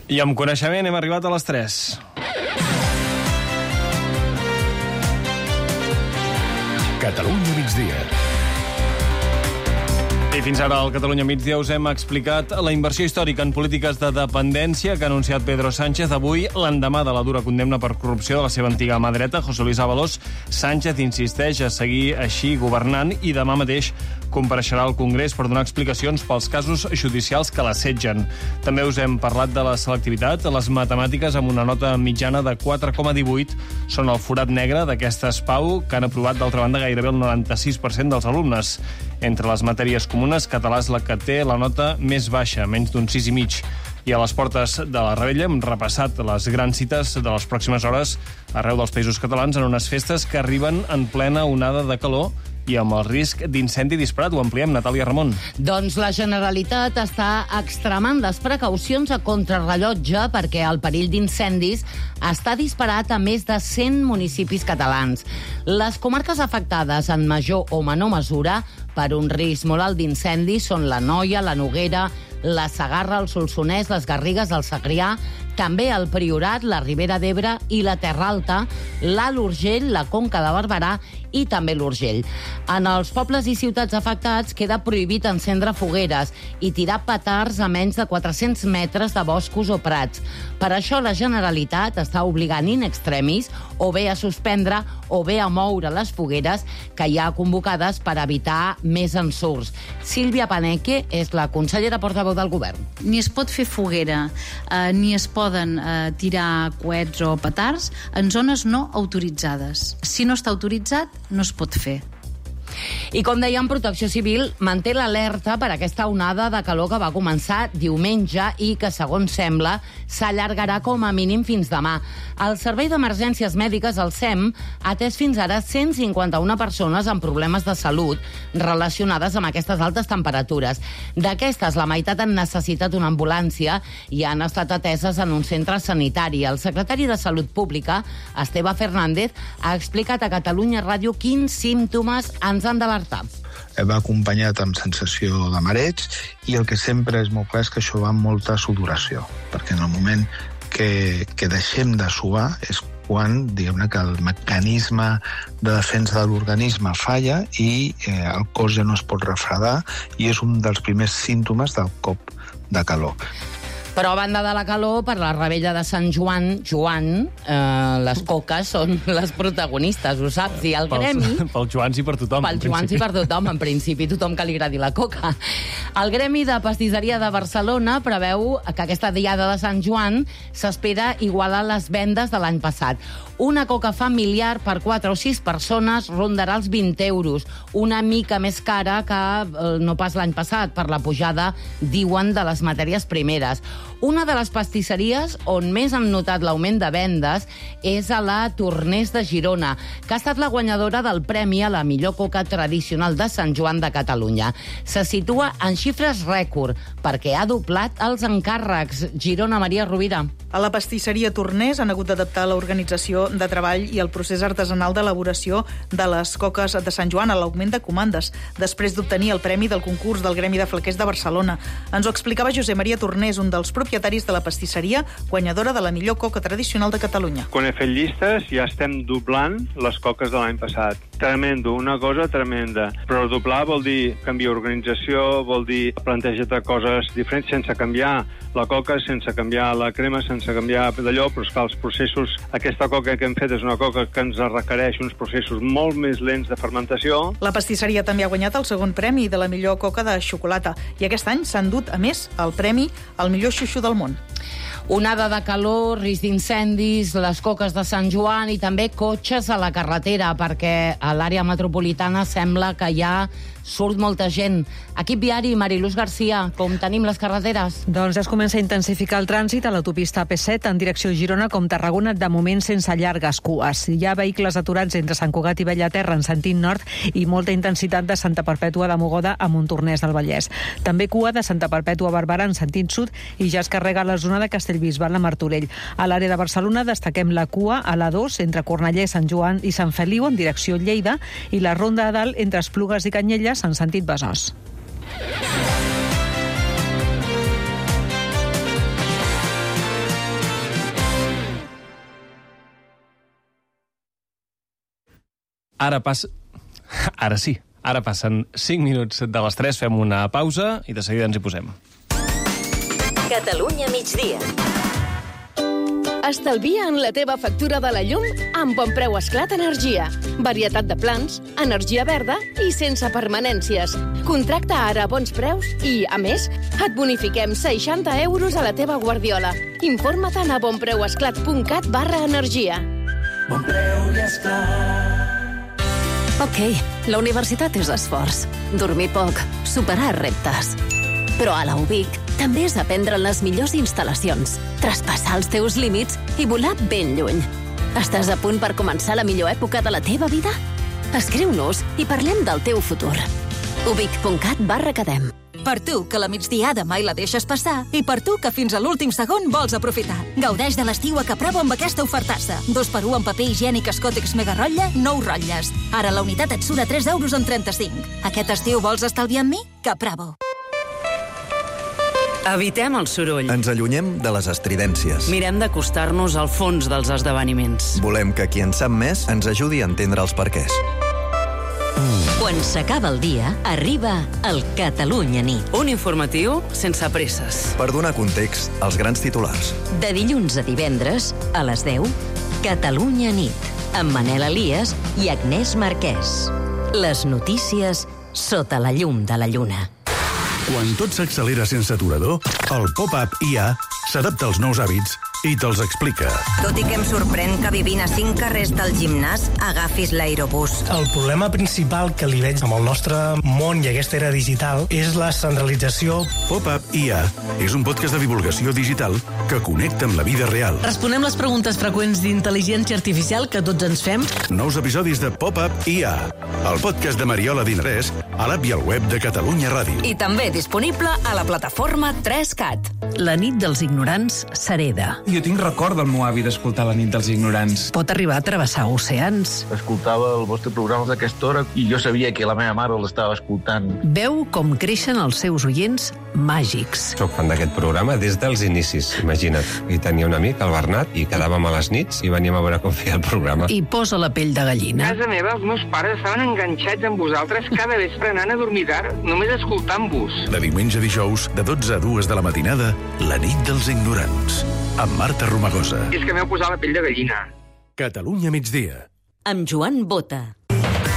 I amb coneixement hem arribat a les 3. Catalunya migdia. I fins ara al Catalunya migdia us hem explicat la inversió històrica en polítiques de dependència que ha anunciat Pedro Sánchez avui, l'endemà de la dura condemna per corrupció de la seva antiga mà dreta, José Luis Ábalos. Sánchez insisteix a seguir així governant i demà mateix compareixerà al Congrés per donar explicacions pels casos judicials que l'assetgen. També us hem parlat de la selectivitat. Les matemàtiques, amb una nota mitjana de 4,18, són el forat negre d'aquestes PAU, que han aprovat, d'altra banda, gairebé el 96% dels alumnes. Entre les matèries comunes, català és la que té la nota més baixa, menys d'un 6,5. I a les portes de la Rebella hem repassat les grans cites de les pròximes hores arreu dels països catalans en unes festes que arriben en plena onada de calor i amb el risc d'incendi disparat. Ho ampliem, Natàlia Ramon. Doncs la Generalitat està extremant les precaucions a contrarrellotge perquè el perill d'incendis està disparat a més de 100 municipis catalans. Les comarques afectades en major o menor mesura per un risc molt alt d'incendis són l'Anoia, la Noguera, la Segarra, el Solsonès, les Garrigues, el Segrià, també el Priorat, la Ribera d'Ebre i la Terra Alta, l'Alt Urgell, la Conca de Barberà i també l'Urgell. En els pobles i ciutats afectats queda prohibit encendre fogueres i tirar petards a menys de 400 metres de boscos o prats. Per això la Generalitat està obligant in extremis o bé a suspendre o bé a moure les fogueres que hi ha convocades per evitar més ensurts. Sílvia Paneque és la consellera portaveu del govern. Ni es pot fer foguera, ni es poden tirar coets o petards en zones no autoritzades. Si no està autoritzat, no es pot fer. I com dèiem, Protecció Civil manté l'alerta per aquesta onada de calor que va començar diumenge i que, segons sembla, s'allargarà com a mínim fins demà. El Servei d'Emergències Mèdiques, el SEM, ha atès fins ara 151 persones amb problemes de salut relacionades amb aquestes altes temperatures. D'aquestes, la meitat han necessitat una ambulància i han estat ateses en un centre sanitari. El secretari de Salut Pública, Esteve Fernández, ha explicat a Catalunya Ràdio quins símptomes ens han d'alertar. Va acompanyat amb sensació de mareig i el que sempre és molt clar és que això va amb molta sudoració, perquè en el moment que deixem de suar és quan, diguem-ne, que el mecanisme de defensa de l'organisme falla i el cos ja no es pot refredar i és un dels primers símptomes del cop de calor. Però a banda de la calor, per la Rebella de Sant Joan, les coques són les protagonistes, ho saps? I el gremi... Pels Joans i per tothom. Pels Joans i per tothom, en principi, tothom que li agradi la coca. El Gremi de Pastisseria de Barcelona preveu que aquesta diada de Sant Joan s'espera igualar les vendes de l'any passat. Una coca familiar per 4 o 6 persones rondarà els 20 euros, una mica més cara que no pas l'any passat, per la pujada, diuen, de les matèries primeres. Una de les pastisseries on més han notat l'augment de vendes és a la Tornés de Girona, que ha estat la guanyadora del premi a la millor coca tradicional de Sant Joan de Catalunya. Se situa en xifres rècord, perquè ha doblat els encàrrecs. Girona, Maria Rovira. A la pastisseria Tornés han hagut d'adaptar l'organització de treball i el procés artesanal d'elaboració de les coques de Sant Joan a l'augment de comandes, després d'obtenir el premi del concurs del Gremi de Flequers de Barcelona. Ens ho explicava Josep Maria Tornés, un dels propietaris de la pastisseria, guanyadora de la millor coca tradicional de Catalunya. Quan he fet llistes ja estem doblant les coques de l'any passat. Tremendo, una cosa tremenda. Però doblar vol dir canviar organització, vol dir plantejar coses diferents sense canviar la coca, sense canviar la crema, sense canviar d'allò, però esclar, els processos, aquesta coca que hem fet és una coca que ens requereix uns processos molt més lents de fermentació. La pastisseria també ha guanyat el segon premi de la millor coca de xocolata i aquest any s'ha endut, a més, el premi al millor xuxu del món. Onada de calor, risc d'incendis, les coques de Sant Joan i també cotxes a la carretera, perquè a l'àrea metropolitana sembla que ja surt molta gent. Equip viari, Mariluz Garcia, com tenim les carreteres? Doncs es comença a intensificar el trànsit a l'autopista P7 en direcció a Girona com Tarragona, de moment sense llargues cues. Hi ha vehicles aturats entre Sant Cugat i Bellaterra en sentit nord i molta intensitat de Santa Perpètua de Mogoda a Montornès del Vallès. També cua de Santa Perpètua a Barberà en sentit sud i ja es carrega la zona de Castellbisbal a Martorell. A l'àrea de Barcelona destaquem la cua a l'A2 entre Cornellà, Sant Joan i Sant Feliu en direcció Lleida i la ronda a dalt entre Esplugues i Canyelles en sentit Besòs. Ara sí, ara passen 5 minuts de les 3, fem una pausa i de seguida ens hi posem. Catalunya migdia. Estalvia en la teva factura de la llum amb Bon Preu Esclat Energia. Varietat de plans, energia verda i sense permanències. Contracta ara a bons preus i, a més, et bonifiquem 60 euros a la teva guardiola. Informa't a bonpreuesclat.cat/energia. Bon Preu i Esclat. Ok, la universitat és esforç. Dormir poc, superar reptes. Però a la UBIC també és aprendre les millors instal·lacions, traspassar els teus límits i volar ben lluny. Estàs a punt per començar la millor època de la teva vida? Escriu-nos i parlem del teu futur. ubic.cat/academ. Per tu, que la migdiada mai la deixes passar, i per tu, que fins a l'últim segon vols aprofitar. Gaudeix de l'estiu a Caprabo amb aquesta ofertassa. 2x1 en paper higiènic Escòtex Mega Rotlle, 9 rotlles. Ara la unitat et surt a 3,35 €. Aquest estiu vols estalviar amb mi? Caprabo. Evitem el soroll. Ens allunyem de les estridències. Mirem d'acostar-nos al fons dels esdeveniments. Volem que qui en sap més ens ajudi a entendre els perquès. Quan s'acaba el dia, arriba el Catalunya Nit. Un informatiu sense presses. Per donar context als grans titulars. De dilluns a divendres, a les 10, Catalunya Nit, amb Manel Elias i Agnès Marquès. Les notícies sota la llum de la lluna. Quan tot s'accelera sense aturador, el Pop-Up IA s'adapta als nous hàbits i te'ls explica. Tot i que em sorprèn que vivint a 5 carrers del gimnàs agafis l'aerobús. El problema principal que li veig amb el nostre món i aquesta era digital és la centralització. Pop-Up IA és un podcast de divulgació digital que connecta amb la vida real. Responem les preguntes freqüents d'intel·ligència artificial que tots ens fem. Nous episodis de Pop-Up IA, el podcast de Mariola Dinarès, a l'app i al web de Catalunya Ràdio. I també disponible a la plataforma 3CAT. La nit dels ignorants s'hereda. Jo tinc record del meu avi d'escoltar La nit dels ignorants. Pot arribar a travessar oceans. Escoltava el vostre programa d'aquesta hora i jo sabia que la meva mare l'estava escoltant. Veu com creixen els seus oients màgics. Soc fan d'aquest programa des dels inicis, imagina't. I tenia un amic, el Bernat, i quedàvem a les nits i veníem a veure com feia el programa. I posa la pell de gallina. A casa meva, els meus pares estaven enganxats amb vosaltres cada vespre anant a dormir tard, només escoltant-vos. De diumenge a dijous, de 12 a 2 de la matinada, La nit dels ignorants, amb Marta Romagosa. És que m'heu posat la pell de gallina. Catalunya migdia. Amb Joan Bota.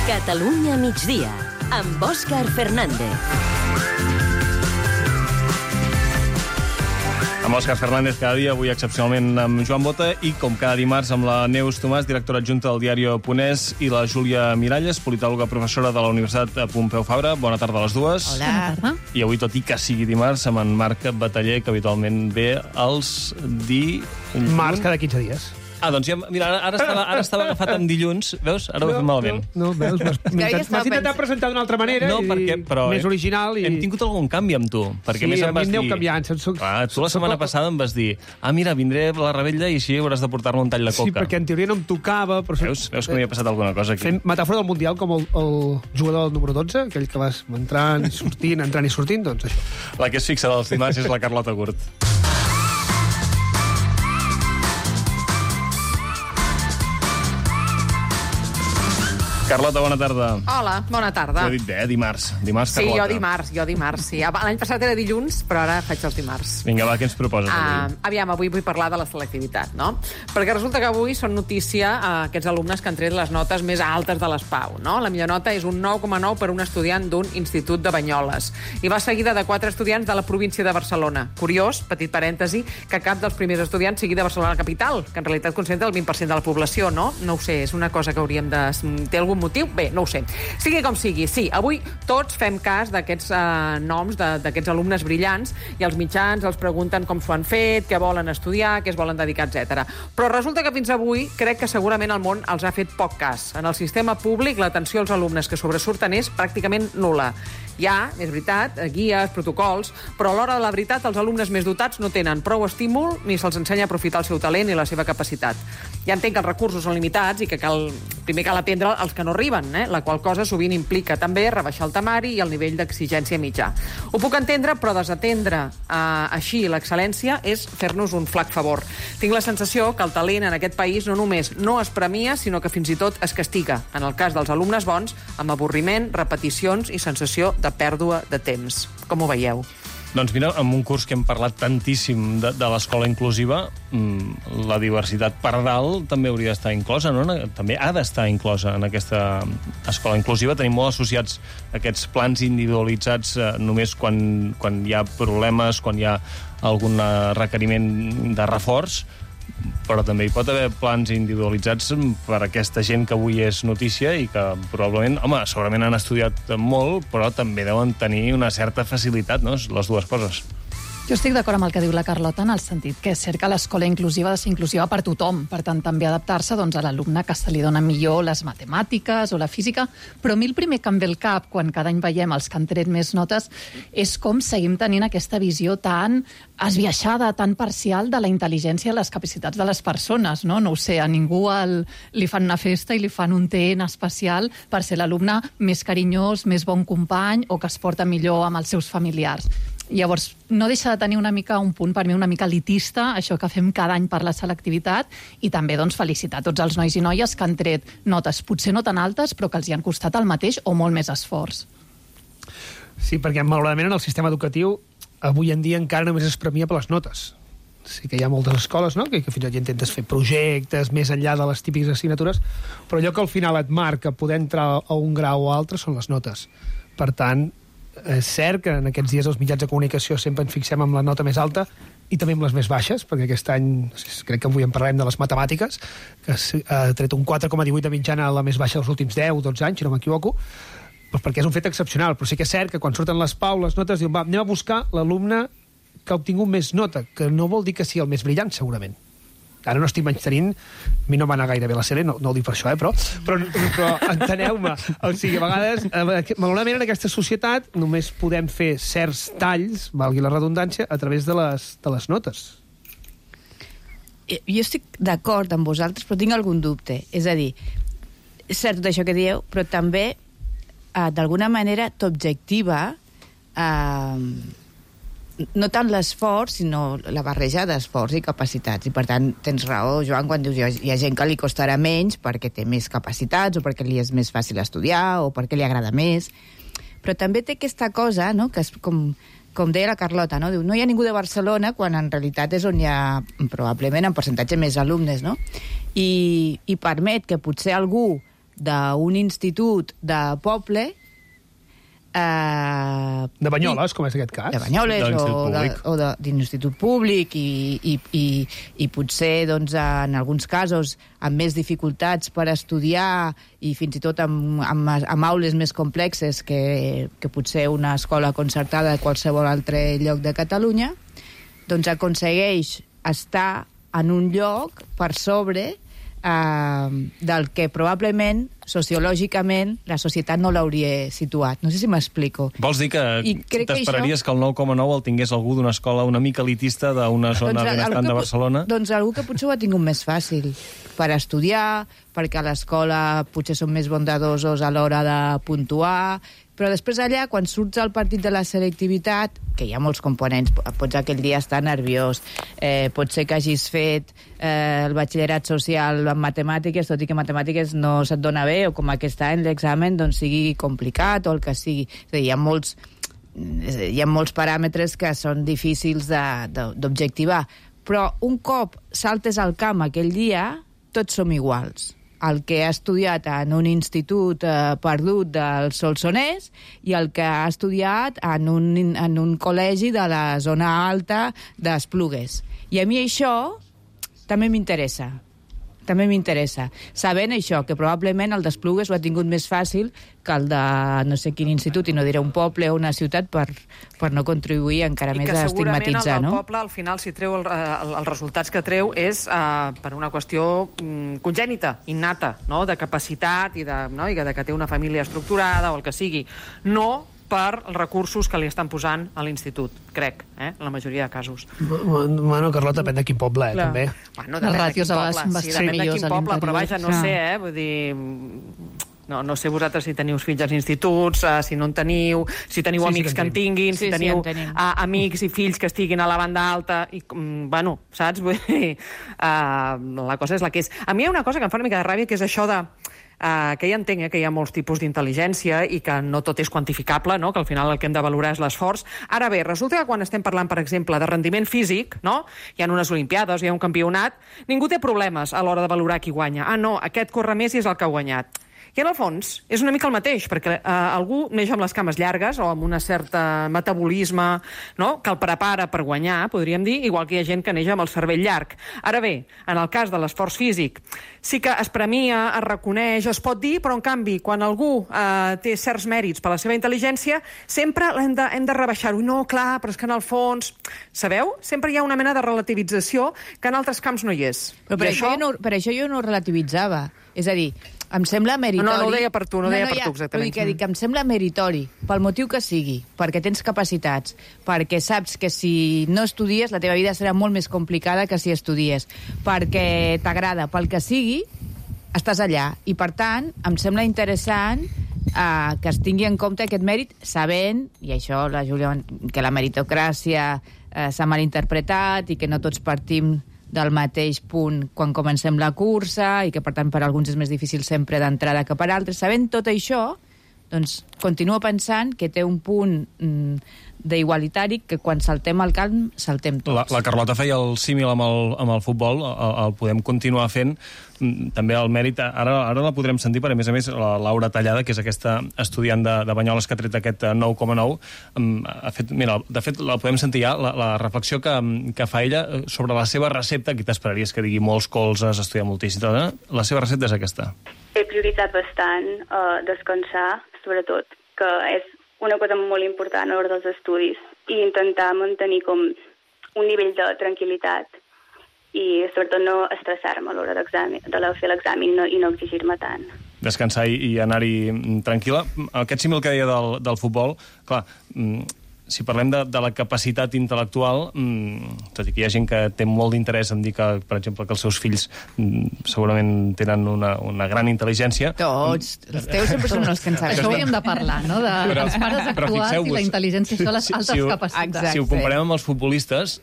Catalunya migdia, amb Òscar Fernández. Amb Òscar Fernández cada dia, avui excepcionalment amb Joan Bota i, com cada dimarts, amb la Neus Tomàs, directora adjunta del diari Ponès, i la Júlia Miralles, politòloga professora de la Universitat Pompeu Fabra. Bona tarda a les dues. Hola. Bona tarda. I avui, tot i que sigui dimarts, amb en Marc Bataller, que habitualment ve els Març cada 15 dies. Ah, doncs ja, mira, ara estava agafat amb dilluns, veus? Ara ho he fet malament. No, veus? M'has intentat presentar d'una altra manera, però més original. Hem tingut algun canvi amb tu. Perquè més sí, em vas dir... canviant. Tu la setmana passada em vas dir mira, vindré a la Rebella i així hauràs de portar-me un tall de coca. Sí, perquè en teoria no em tocava. Però... Veus que m'hi ha passat alguna cosa aquí. Fent metàfora del Mundial, com el jugador del número 12, aquell que vas entrant i sortint, doncs això. La que és fixa dels dimarts és la Carlota Gurt. Carlota, bona tarda. Hola, bona tarda. Ho he dit bé, dimarts. Dimarts, sí, Carlota. jo dimarts, sí. L'any passat era dilluns, però ara faig els dimarts. Vinga, va, què ens proposes avui? Aviam, avui vull parlar de la selectivitat, no? Perquè resulta que avui són notícia aquests alumnes que han tret les notes més altes de l'ESPAU, no? La millor nota és un 9,9 per un estudiant d'un institut de Banyoles. I va seguida de 4 estudiants de la província de Barcelona. Curiós, petit parèntesi, que cap dels primers estudiants sigui de Barcelona capital, que en realitat concentra el 20% de la població, no? No ho sé, és una cosa que hauríem de... Té algun motiu? Bé, no ho sé. Sigui com sigui, sí, avui tots fem cas d'aquests noms d'aquests alumnes brillants i els mitjans els pregunten com s'ho han fet, què volen estudiar, què es volen dedicar, etc. Però resulta que fins avui crec que segurament el món els ha fet poc cas. En el sistema públic l'atenció als alumnes que sobresurten és pràcticament nul·la. Hi ha, és veritat, guies, protocols, però a l'hora de la veritat els alumnes més dotats no tenen prou estímul ni se'ls ensenya a aprofitar el seu talent i la seva capacitat. Ja entenc que els recursos són limitats i que primer cal atendre els que no arriben, la qual cosa sovint implica també rebaixar el temari i el nivell d'exigència mitjà. Ho puc entendre, però desatendre així l'excel·lència és fer-nos un flac favor. Tinc la sensació que el talent en aquest país no només no es premia, sinó que fins i tot es castiga, en el cas dels alumnes bons, amb avorriment, repeticions i sensació de pèrdua de temps. Com ho veieu? Doncs mira, en un curs que hem parlat tantíssim de l'escola inclusiva, la diversitat per dalt també hauria d'estar inclosa, no? També ha d'estar inclosa en aquesta escola inclusiva. Tenim molt associats aquests plans individualitzats només quan hi ha problemes, quan hi ha algun requeriment de reforç, però també hi pot haver plans individualitzats per a aquesta gent que avui és notícia i que probablement, segurament han estudiat molt, però també deuen tenir una certa facilitat, no? Les dues coses. Jo estic d'acord amb el que diu la Carlota en el sentit que és cert que l'escola inclusiva ha de ser inclusiva per tothom, per tant també adaptar-se a l'alumne que se li dona millor les matemàtiques o la física, però a mi el primer que em ve al cap quan cada any veiem els que han tret més notes és com seguim tenint aquesta visió tan esbiaixada, tan parcial de la intel·ligència i les capacitats de les persones, no? No ho sé, a ningú li fan una festa i li fan un TN especial per ser l'alumne més carinyós, més bon company o que es porta millor amb els seus familiars. Llavors, no deixa de tenir una mica un punt per mi una mica elitista, això que fem cada any per la selectivitat, i també felicitar tots els nois i noies que han tret notes, potser no tan altes, però que els hi han costat el mateix o molt més esforç. Sí, perquè malauradament en el sistema educatiu avui en dia encara només es premia per les notes. Sí que hi ha moltes escoles, no?, que fins i tot intentes fer projectes més enllà de les típiques assignatures, però allò que al final et marca poder entrar a un grau o altre són les notes. Per tant, és cert que en aquests dies els mitjans de comunicació sempre ens fixem amb la nota més alta i també amb les més baixes, perquè aquest any crec que avui en parlarem de les matemàtiques, que ha tret un 4,18 de mitjana, la més baixa dels últims 10-12 anys, si no m'equivoco, doncs perquè és un fet excepcional. Però sí que és cert que quan surten les PAU, les notes, diuen, anem a buscar l'alumne que ha obtingut més nota, que no vol dir que sigui el més brillant, segurament. Ara no estic menystenint, a mi no va anar gaire bé la sèrie, no ho dic per això, però enteneu-me. O sigui, a vegades, malauradament en aquesta societat només podem fer certs talls, valgui la redundància, a través de les notes. Jo estic d'acord amb vosaltres, però tinc algun dubte. És a dir, és cert tot això que dieu, però també, d'alguna manera, t'objectiva no tant l'esforç, sinó la barreja d'esforç i capacitats. I, per tant, tens raó, Joan, quan dius hi ha gent que li costarà menys perquè té més capacitats o perquè li és més fàcil estudiar o perquè li agrada més. Però també té aquesta cosa, no?, que és com deia la Carlota, no? Diu, no hi ha ningú de Barcelona, quan en realitat és on hi ha probablement en percentatge més alumnes, no? I permet que potser algú d'un institut de poble de Banyoles, com és aquest cas. De Banyoles o d'un institut públic i potser, doncs, en alguns casos, amb més dificultats per estudiar i fins i tot amb aules més complexes que potser una escola concertada de qualsevol altre lloc de Catalunya, doncs aconsegueix estar en un lloc per sobre del que probablement, sociològicament, la societat no l'hauria situat. No sé si m'explico. Vols dir que t'esperaries que el 9,9 el tingués algú d'una escola una mica elitista d'una zona benestant de Barcelona? Doncs algú que potser ho ha tingut més fàcil per estudiar, perquè a l'escola potser són més bondadosos a l'hora de puntuar, però després allà, quan surts al partit de la selectivitat, que hi ha molts components, pots aquell dia estar nerviós, pot ser que hagis fet el batxillerat social en matemàtiques, tot i que matemàtiques no se't dona bé, o com aquest any l'examen doncs sigui complicat, o el que sigui. És a dir, hi ha molts paràmetres que són difícils d'objectivar, però un cop saltes al camp aquell dia, tots som iguals. El que ha estudiat en un institut perdut del Solsonès i el que ha estudiat en un col·legi de la zona alta d'Esplugues. I a mi això també m'interessa. També m'interessa. Sabent això, que probablement el d'Esplugues ho ha tingut més fàcil que el de no sé quin institut, i no diré un poble o una ciutat, per no contribuir encara més a estigmatitzar, no? I que segurament el del poble, al final, si treu els resultats que treu, és per una qüestió congènita, innata, no?, de capacitat i de que té una família estructurada o el que sigui. No per els recursos que li estan posant a l'institut, crec, en la majoria de casos. Bueno, Carlota, depèn de quin poble, també. Bueno, depèn de quin poble, sí, depèn de quin poble, però vaja, no sé, vull dir... No sé vosaltres si teniu fills als instituts, si no en teniu, si teniu amics que en tinguin, si teniu amics i fills que estiguin a la banda alta, i, bueno, saps? Vull dir, la cosa és la que és. A mi hi ha una cosa que em fa una mica de ràbia, que és això de... que ja entenc que hi ha molts tipus d'intel·ligència i que no tot és quantificable, no? Que al final el que hem de valorar és l'esforç. Ara bé, resulta que quan estem parlant, per exemple, de rendiment físic, no? Hi ha unes olimpiades, hi ha un campionat, ningú té problemes a l'hora de valorar qui guanya. Ah, no, aquest corre més i és el que ha guanyat. I en el fons és una mica el mateix, perquè algú neix amb les cames llargues o amb un cert metabolisme, no? Que el prepara per guanyar, podríem dir, igual que hi ha gent que neix amb el cervell llarg. Ara bé, en el cas de l'esforç físic, sí que es premia, es reconeix, es pot dir, però en canvi, quan algú té certs mèrits per la seva intel·ligència, sempre hem de rebaixar-ho. No, clar, però és que en el fons... Sabeu? Sempre hi ha una mena de relativització que en altres camps no hi és. Però per això jo no relativitzava. És a dir, em sembla meritori... No ho deia per tu, deia per tu, exactament. Que em sembla meritori, pel motiu que sigui, perquè tens capacitats, perquè saps que si no estudies la teva vida serà molt més complicada que si estudies, perquè t'agrada, pel que sigui, estàs allà. I, per tant, em sembla interessant que es tingui en compte aquest mèrit, sabent, i això, la Júlia, que la meritocràcia s'ha malinterpretat i que no tots partim del mateix punt quan comencem la cursa i que, per tant, per alguns és més difícil sempre d'entrada que per altres. Sabent tot això, doncs continuo pensant que té un punt d'igualitari que quan saltem al camp, saltem tots. La Carlota feia el símil amb el futbol, el podem continuar fent. També el mèrit, ara la podrem sentir, però a més, la Laura Tallada, que és aquesta estudiant de Banyoles que ha tret aquest 9,9, de fet, la podem sentir ja, la reflexió que fa ella sobre la seva recepta, que t'esperaries que digui molts colzes, estudiar moltíssim, la seva recepta és aquesta. He prioritzat bastant descansar, sobretot, que és una cosa molt important a l'hora dels estudis, i intentar mantenir com un nivell de tranquil·litat i sobretot no estressar-me a l'hora de fer l'examen i no exigir-me tant. Descansar i anar-hi tranquil·la. Aquest símil que deia del futbol, clar, si parlem de la capacitat intel·lectual, tot i que hi ha gent que té molt d'interès en dir que, per exemple, que els seus fills segurament tenen una gran intel·ligència... Tots. Els teus sempre són els que en sabem. Això hauríem de parlar, no? Dels pares actuals i la intel·ligència, això, les altes capacitats. Si ho comparem amb els futbolistes,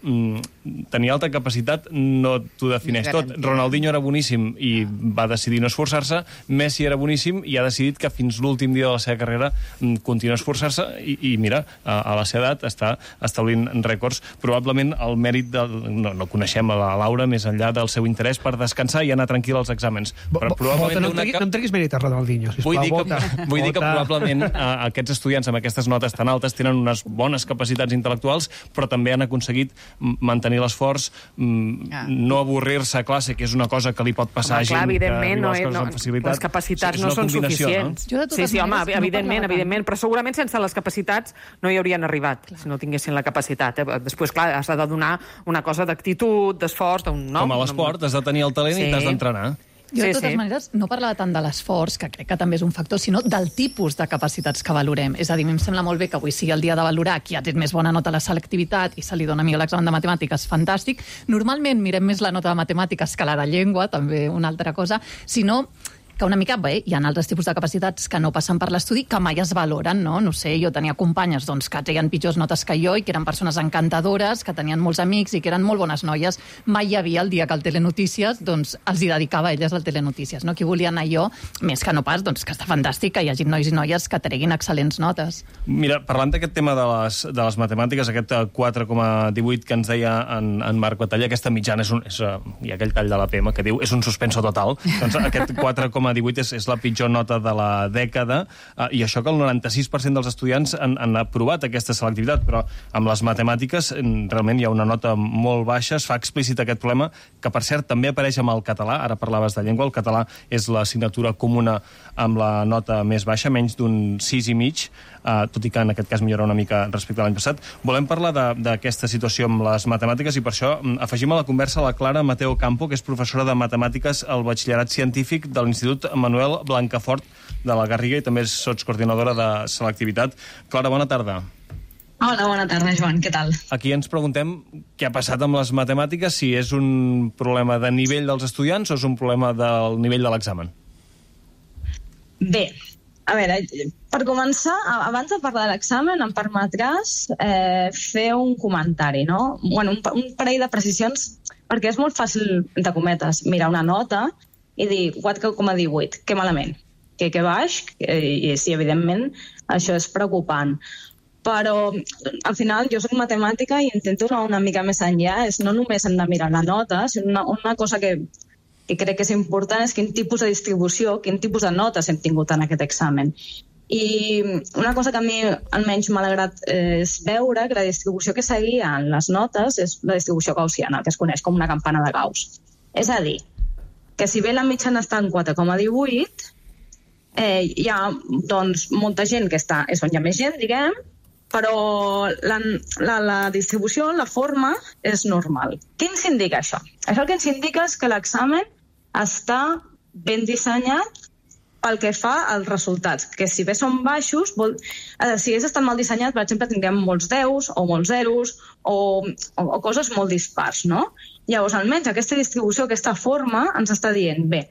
tenir alta capacitat no t'ho defineix tot. Ronaldinho era boníssim i va decidir no esforçar-se, Messi era boníssim i ha decidit que fins l'últim dia de la seva carrera continua esforçar-se i mira, a la edat està establint rècords. Probablement el mèrit no coneixem a la Laura més enllà del seu interès per descansar i anar tranquil als exàmens. Però probablement no em treguis mèrit a Ronaldinho, sisplau. Vull dir que probablement aquests estudiants amb aquestes notes tan altes tenen unes bones capacitats intel·lectuals, però també han aconseguit mantenir l'esforç, no avorrir-se a classe, que és una cosa que li pot passar a gent que viu les coses amb facilitat. Les capacitats no són suficients. Sí, home, evidentment, però segurament sense les capacitats no hi haurien arribat, si no tinguessin la capacitat. Després, clar, has de donar una cosa d'actitud, d'esforç... Com a l'esport, has de tenir el talent i t'has d'entrenar. Jo, de totes maneres, no parlava tant de l'esforç, que crec que també és un factor, sinó del tipus de capacitats que valorem. És a dir, a mi em sembla molt bé que avui sigui el dia de valorar qui ha tret més bona nota a la selectivitat i se li dona millor l'examen de matemàtiques, fantàstic. Normalment mirem més la nota de matemàtiques que la de llengua, també una altra cosa, sinó que una mica, bé, hi ha altres tipus de capacitats que no passen per l'estudi, que mai es valoren, no? No sé, jo tenia companyes doncs, que treien pitjors notes que jo i que eren persones encantadores, que tenien molts amics i que eren molt bones noies. Mai hi havia el dia que el Telenotícies doncs, els hi dedicava a elles al Telenotícies, no? Qui volia anar jo, més que no pas, doncs, que està fantàstic que hi hagi nois i noies que treguin excel·lents notes. Mira, parlant d'aquest tema de les matemàtiques, aquest 4,18 que ens deia en Marc Batalla, aquesta mitjana hi ha aquell tall de la PM que diu és un suspenso total, doncs aquest 4,18 és la pitjor nota de la dècada, i això que el 96% dels estudiants han aprovat aquesta selectivitat, però amb les matemàtiques realment hi ha una nota molt baixa, es fa explícit aquest problema, que per cert també apareix amb el català, ara parlaves de llengua, el català és l'assignatura comuna amb la nota més baixa, menys d'un 6,5, tot i que en aquest cas millora una mica respecte a l'any passat. Volem parlar d'aquesta situació amb les matemàtiques i per això afegim a la conversa la Clara Mateo Campo, que és professora de matemàtiques al batxillerat científic de l'Institut l'Institut Manuel Blancafort de la Garriga i també és sotscoordinadora de selectivitat. Clara, bona tarda. Hola, bona tarda, Joan, què tal? Aquí ens preguntem què ha passat amb les matemàtiques, si és un problema de nivell dels estudiants o és un problema del nivell de l'examen. Bé, a veure, per començar, abans de parlar de l'examen, em permetràs fer un comentari, no? Bueno, un parell de precisions, perquè és molt fàcil, entre cometes, mirar una nota i dir 4,18, que malament, que baix, i sí, evidentment, això és preocupant. Però al final jo soc matemàtica i intento anar una mica més enllà. No només hem de mirar la nota, sinó una cosa que crec que és important és quin tipus de distribució, quin tipus de notes hem tingut en aquest examen. I una cosa que a mi almenys m'ha agradat és veure que la distribució que seguia en les notes és la distribució gaussiana, que es coneix com una campana de Gauss. És a dir, que si bé la mitjana està en 4,18, hi ha doncs, molta gent que està, és on hi ha més gent, diguem, però la distribució, la forma, és normal. Què ens indica això? Això el que ens indica és que l'examen està ben dissenyat pel que fa als resultats, que si bé són baixos, si hagués estat mal dissenyat, per exemple, tindríem molts 10 o molts zeros o coses molt dispars, no? Llavors, almenys aquesta distribució, aquesta forma, ens està dient, bé,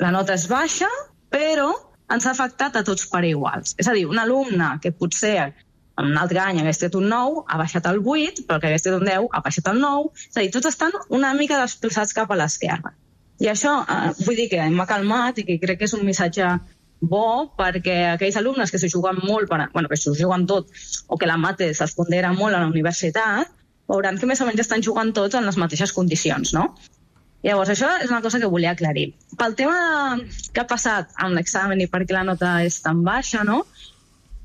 la nota és baixa, però ens ha afectat a tots per iguals. És a dir, un alumne que potser en un altre any hagués tret un 9, ha baixat el 8, però que hagués tret un 10, ha baixat el 9. És a dir, tots estan una mica desplaçats cap a l'esquerra. I això, vull dir que m'ha calmat i que crec que és un missatge bo perquè aquells alumnes que s'ho juguen molt, que s'ho juguen tot, o que la mate se'ls pondera molt a la universitat, veuran que més o menys estan jugant tots en les mateixes condicions, no? Llavors, això és una cosa que volia aclarir. Pel tema que ha passat amb l'examen i per què la nota és tan baixa, no?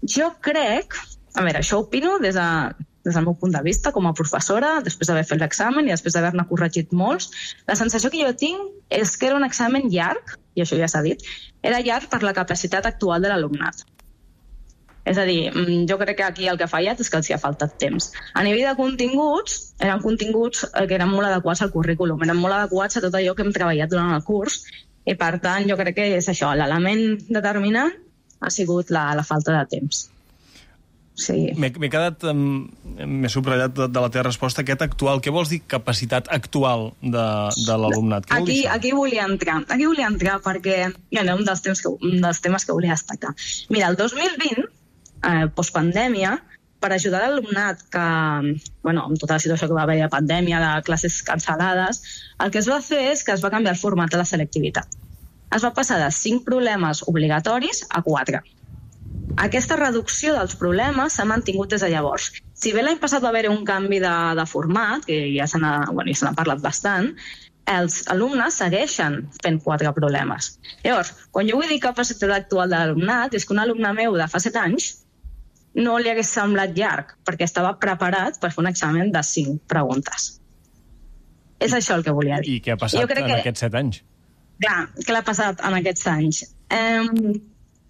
Jo crec... A veure, això opino des del meu punt de vista com a professora, després d'haver fet l'examen i després d'haver-ne corregit molts. La sensació que jo tinc és que era un examen llarg, i això ja s'ha dit, era llarg per la capacitat actual de l'alumnat. És a dir, jo crec que aquí el que ha fallat és que els hi ha faltat temps. A nivell de continguts, eren continguts que eren molt adequats al currículum, eren molt adequats a tot allò que hem treballat durant el curs, i per tant jo crec que és això, l'element determinant ha sigut la falta de temps. Sí. M'he quedat, m'he subratllat de la teva resposta, aquest actual. Què vols dir capacitat actual de l'alumnat? Aquí volia entrar perquè era un dels temes que volia destacar. Mira, el 2020, postpandèmia, per ajudar l'alumnat que, amb tota la situació que va haver de pandèmia, de classes cancel·lades, el que es va fer és que es va canviar el format de la selectivitat. Es va passar de 5 problemes obligatoris a 4. Aquesta reducció dels problemes s'ha mantingut des de llavors. Si bé l'any passat va haver un canvi de format, que ja se n'ha parlat bastant, els alumnes segueixen fent 4 problemes. Llavors, quan jo vull dir capacitat actual de l'alumnat, és que un alumne meu de fa 7 anys no li hagués semblat llarg, perquè estava preparat per fer un examen de 5 preguntes. És això el que volia dir. I què ha passat en aquests 7 anys? Clar, què ha passat en aquests anys?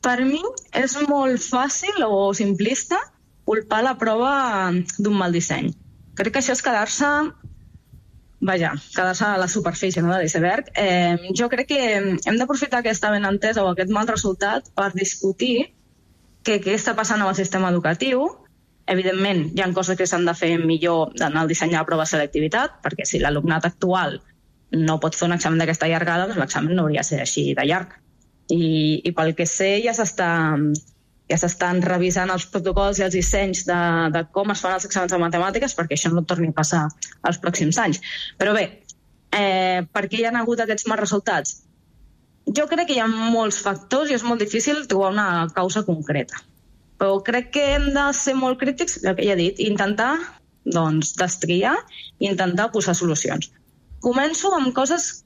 Per mi és molt fàcil o simplista culpar la prova d'un mal disseny. Crec que això és quedar-se a la superfície, no, de l'iceberg. Jo crec que hem d'aprofitar aquesta benentesa o aquest mal resultat per discutir què està passant amb el sistema educatiu. Evidentment, hi ha coses que s'han de fer millor en el disseny de la prova de selectivitat, perquè si l'alumnat actual no pot fer un examen d'aquesta llargada, doncs l'examen no hauria de ser així de llarg. I pel que sé ja s'estan revisant els protocols i els dissenys de com es fan els exàmens de matemàtiques perquè això no torni a passar els pròxims anys. Però bé, per què hi ha hagut aquests mals resultats? Jo crec que hi ha molts factors i és molt difícil trobar una causa concreta. Però crec que hem de ser molt crítics, el que ja he dit, i intentar destriar i intentar posar solucions. Començo amb coses,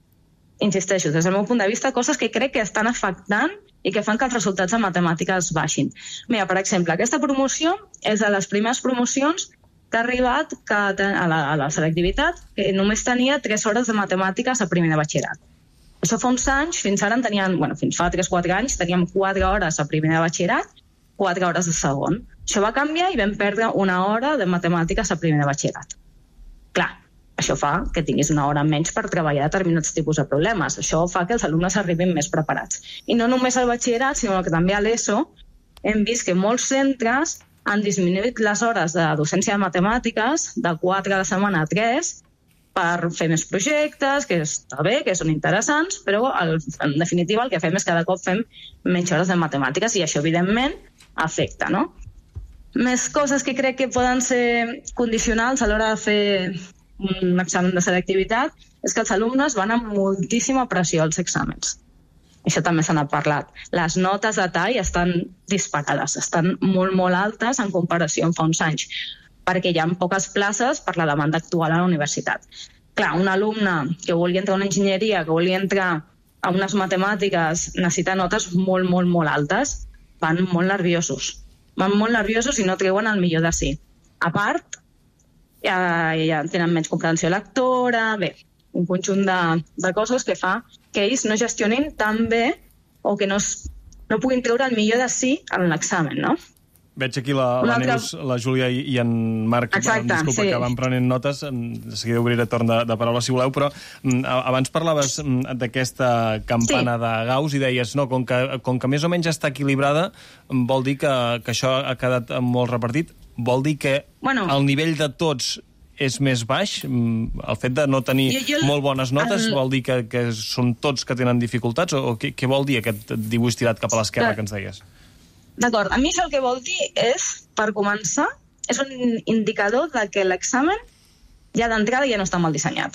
insisteixo, des del meu punt de vista, coses que crec que estan afectant i que fan que els resultats de matemàtiques baixin. Mira, per exemple, aquesta promoció és de les primeres promocions que ha arribat a la selectivitat, que només tenia 3 hores de matemàtiques a primer de batxillerat. Això fa uns anys, fins fa 3-4 anys, teníem 4 hores a primer de batxillerat, 4 hores de segon. Això va canviar i vam perdre 1 hora de matemàtiques a primer de batxillerat. Clar, Això fa que tinguis una hora menys per treballar determinats tipus de problemes. Això fa que els alumnes arribin més preparats. I no només al batxillerat, sinó que també a l'ESO hem vist que molts centres han disminuït les hores de docència de matemàtiques de 4 a la setmana a 3 per fer més projectes, que està bé, que són interessants, però en definitiva el que fem és cada cop fem menys hores de matemàtiques i això evidentment afecta, no? Més coses que crec que poden ser condicionals a l'hora de fer un examen de selectivitat és que els alumnes van amb moltíssima pressió als exàmens. Això també se n'ha parlat. Les notes de tall estan disparades, estan molt, molt altes en comparació amb fa uns anys, perquè hi ha poques places per la demanda actual a la universitat. Clar, un alumne que vulgui entrar a una enginyeria, que vulgui entrar a unes matemàtiques, necessita notes molt, molt, molt altes, van molt nerviosos. Van molt nerviosos i no treuen el millor de si. A part, ja tenen menys comprensió lectora, bé, un conjunt de coses que fa que ells no gestionin tan bé o que no puguin treure el millor de si en l'examen, no? Veig aquí la Neus, la Júlia i en Marc, disculpa, que van prenent notes, de seguida obriré torn de paraula si voleu, però abans parlaves d'aquesta campana de Gauss i deies, no, com que més o menys està equilibrada, vol dir que això ha quedat molt repartit, vol dir que el nivell de tots és més baix? El fet de no tenir molt bones notes vol dir que són tots que tenen dificultats? O què vol dir aquest dibuix tirat cap a l'esquerra que ens deies? D'acord, a mi això el que vol dir és, per començar, és un indicador de que l'examen ja d'entrada ja no està mal dissenyat.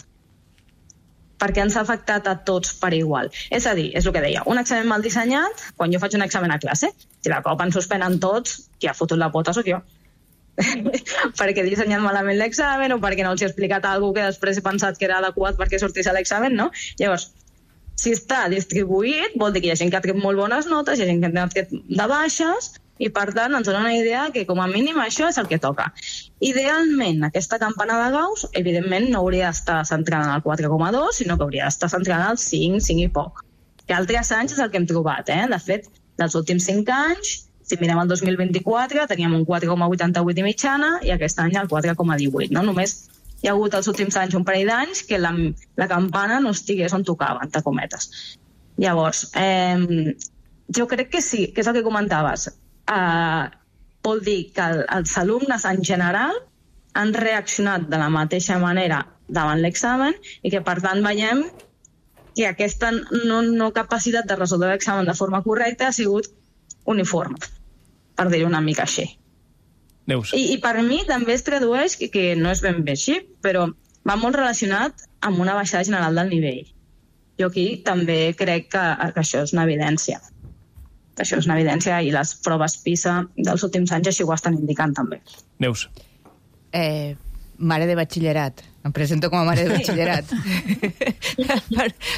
Perquè ens ha afectat a tots per igual. És a dir, és el que deia, un examen mal dissenyat, quan jo faig un examen a classe, si de cop ens suspenen tots, qui ha fotut la pota sóc jo. Perquè he dissenyat malament l'examen o perquè no els he explicat alguna que després he pensat que era adequat perquè sortís a l'examen, no? Llavors, si està distribuït, vol dir que hi ha gent que ha tret molt bones notes, hi ha gent que ha tret de baixes, i per tant ens dona una idea que com a mínim això és el que toca. Idealment, aquesta campana de Gauss, evidentment, no hauria d'estar centrada en el 4,2, sinó que hauria d'estar centrada en el 5, 5 i poc. Que altres anys és el que hem trobat, De fet, dels últims 5 anys, si mirem el 2024, teníem un 4,88 i mitjana, i aquest any el 4,18, no? Només hi ha hagut els últims anys un parell d'anys que la campana no estigués on tocava, entre cometes. Llavors, jo crec que sí, que és el que comentaves. Vol dir que els alumnes en general han reaccionat de la mateixa manera davant l'examen i que, per tant, veiem que aquesta no capacitat de resoldre l'examen de forma correcta ha sigut uniforme, per dir-ho una mica així. Neus. I per mi també es tradueix que no és ben bé així, però va molt relacionat amb una baixada general del nivell. Jo aquí també crec que això és una evidència. Això és una evidència i les proves PISA dels últims anys així ho estan indicant també. Neus. Mare de batxillerat. Em presento com a mare de batxillerat.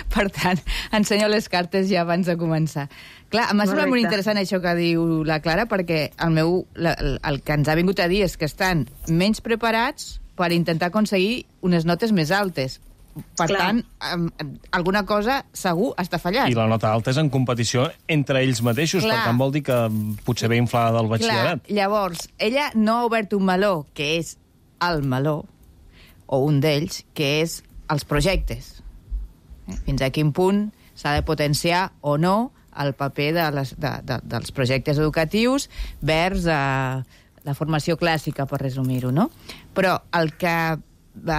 Per tant, ensenyo les cartes ja abans de començar. Clar, m'ha semblat molt interessant això que diu la Clara, perquè el que ens ha vingut a dir és que estan menys preparats per intentar aconseguir unes notes més altes. Per tant, alguna cosa segur està fallant. I la nota alta és en competició entre ells mateixos, per tant vol dir que potser ve inflada del batxillerat. Llavors, ella no ha obert un meló, que és el meló, o un d'ells, que és els projectes. Fins a quin punt s'ha de potenciar o no el paper dels projectes educatius vers la formació clàssica, per resumir-ho, no? Però el que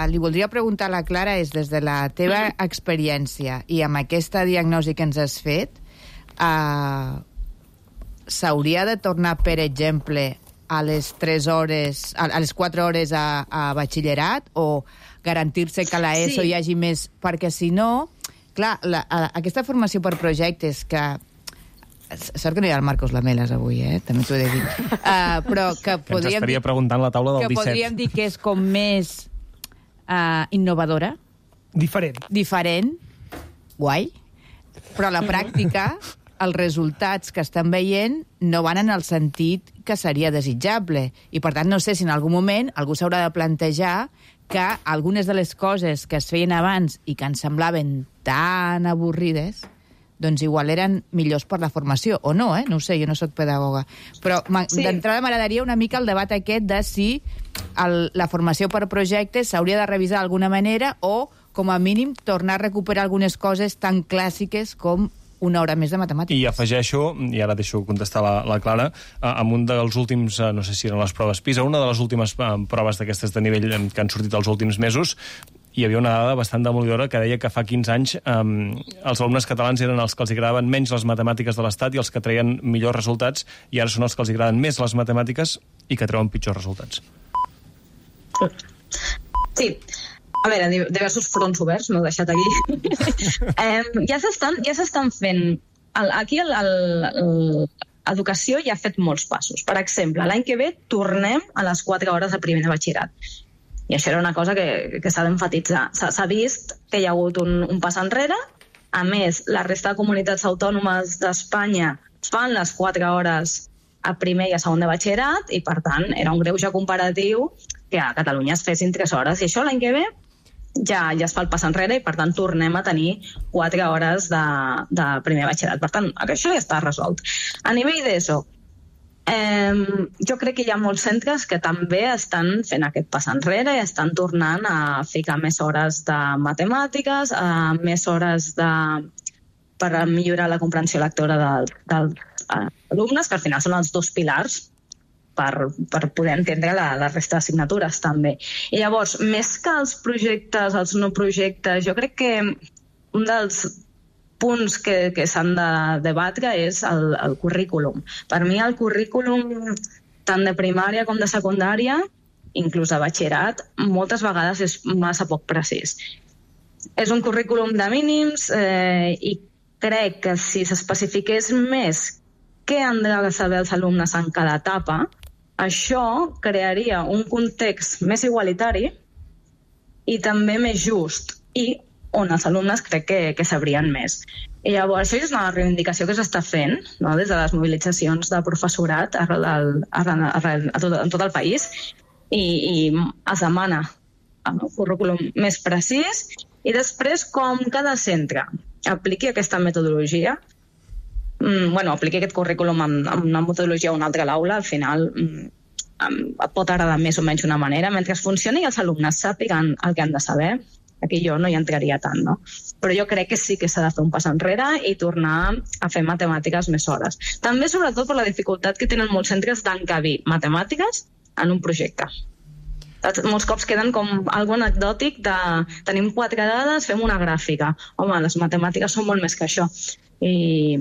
li voldria preguntar a la Clara és, des de la teva experiència i amb aquesta diagnosi que ens has fet, s'hauria de tornar, per exemple, a les 3 hores, a les 4 hores a batxillerat, o garantir-se que a l'ESO hi hagi més? Perquè si no, clar, aquesta formació per projectes que... Sort que no hi ha el Marcos Lamelas avui, també t'ho he de dir. Però que ens estaria preguntant la taula del 17. Que podríem dir que és com més innovadora. Diferent. Guai. Però a la pràctica, els resultats que estan veient no van en el sentit que seria desitjable. I, per tant, no sé si en algun moment algú s'haurà de plantejar que algunes de les coses que es feien abans i que ens semblaven tan avorrides, doncs igual eren millors per la formació, o no, no ho sé, jo no sóc pedagoga. Però d'entrada m'agradaria una mica el debat aquest de si la formació per projectes s'hauria de revisar d'alguna manera o, com a mínim, tornar a recuperar algunes coses tan clàssiques com una hora més de matemàtiques. I afegeixo, i ara deixo contestar la Clara, amb un dels últims, no sé si eren les proves PISA, una de les últimes proves d'aquestes de nivell que han sortit els últims mesos, hi havia una dada bastant demolidora que deia que fa 15 anys els alumnes catalans eren els que els agradaven menys les matemàtiques de l'Estat i els que treien millors resultats, i ara són els que els agraden més les matemàtiques i que treuen pitjors resultats. Sí. A veure, diversos fronts oberts, m'heu deixat aquí. Ja s'estan fent... Aquí l'educació ja ha fet molts passos. Per exemple, l'any que ve tornem a les 4 hores de primer de batxillerat. I això era una cosa que s'ha d'emfatitzar. S'ha vist que hi ha hagut un pas enrere. A més, la resta de comunitats autònomes d'Espanya fan les 4 hores a primer i a segon de batxillerat i, per tant, era un greuge comparatiu que a Catalunya es fessin 3 hores. I això l'any que ve ja es fa el pas enrere i, per tant, tornem a tenir 4 hores de primer batxillerat. Per tant, això ja està resolt. A nivell d'ESO, jo crec que hi ha molts centres que també estan fent aquest pas enrere i estan tornant a ficar més hores de matemàtiques, més hores per millorar la comprensió lectora dels alumnes, que al final són els 2 pilars per poder entendre la resta d'assignatures també. I llavors, més que els projectes, els no projectes, jo crec que un dels punts que s'han de debatre és el currículum. Per mi el currículum tant de primària com de secundària, inclús de batxillerat, moltes vegades és massa poc precís. És un currículum de mínims i crec que si s'especifiqués més què han de saber els alumnes en cada etapa, això crearia un context més igualitari i també més just i on els alumnes crec que sabrien més. I llavors, això és una reivindicació que s'està fent, no?, des de les mobilitzacions de professorat en tot el país, i es demana un currículum més precís i després, com cada centre apliqui aquesta metodologia, apliqui aquest currículum amb una metodologia o una altra a l'aula, al final pot agradar més o menys una manera, mentre funcioni i els alumnes sàpiguen el que han de saber. Aquí jo no hi entraria tant, no? Però jo crec que sí que s'ha de fer un pas enrere i tornar a fer matemàtiques més hores. També, sobretot, per la dificultat que tenen molts centres d'encabir matemàtiques en un projecte. Molts cops queden com algo anecdòtic de tenim 4 dades, fem una gràfica. Home, les matemàtiques són molt més que això i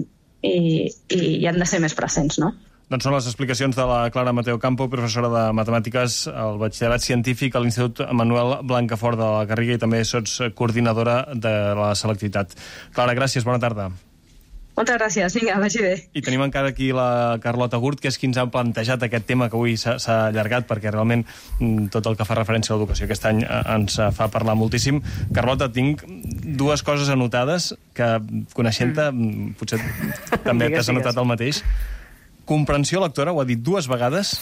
han de ser més presents, no? Doncs són les explicacions de la Clara Mateo Campo, professora de Matemàtiques al Batxillerat Científic a l'Institut Manuel Blancafort de la Garriga, i també sots coordinadora de la selectivitat. Clara, gràcies, bona tarda. Moltes gràcies, vinga, vagi bé. I tenim encara aquí la Carlota Gurt, que és qui ens ha plantejat aquest tema que avui s'ha allargat, perquè realment tot el que fa referència a l'educació aquest any ens fa parlar moltíssim. Carlota, tinc 2 coses anotades que, coneixent-te, potser també t'has anotat el mateix. Comprensió lectora, ho ha dit 2 vegades,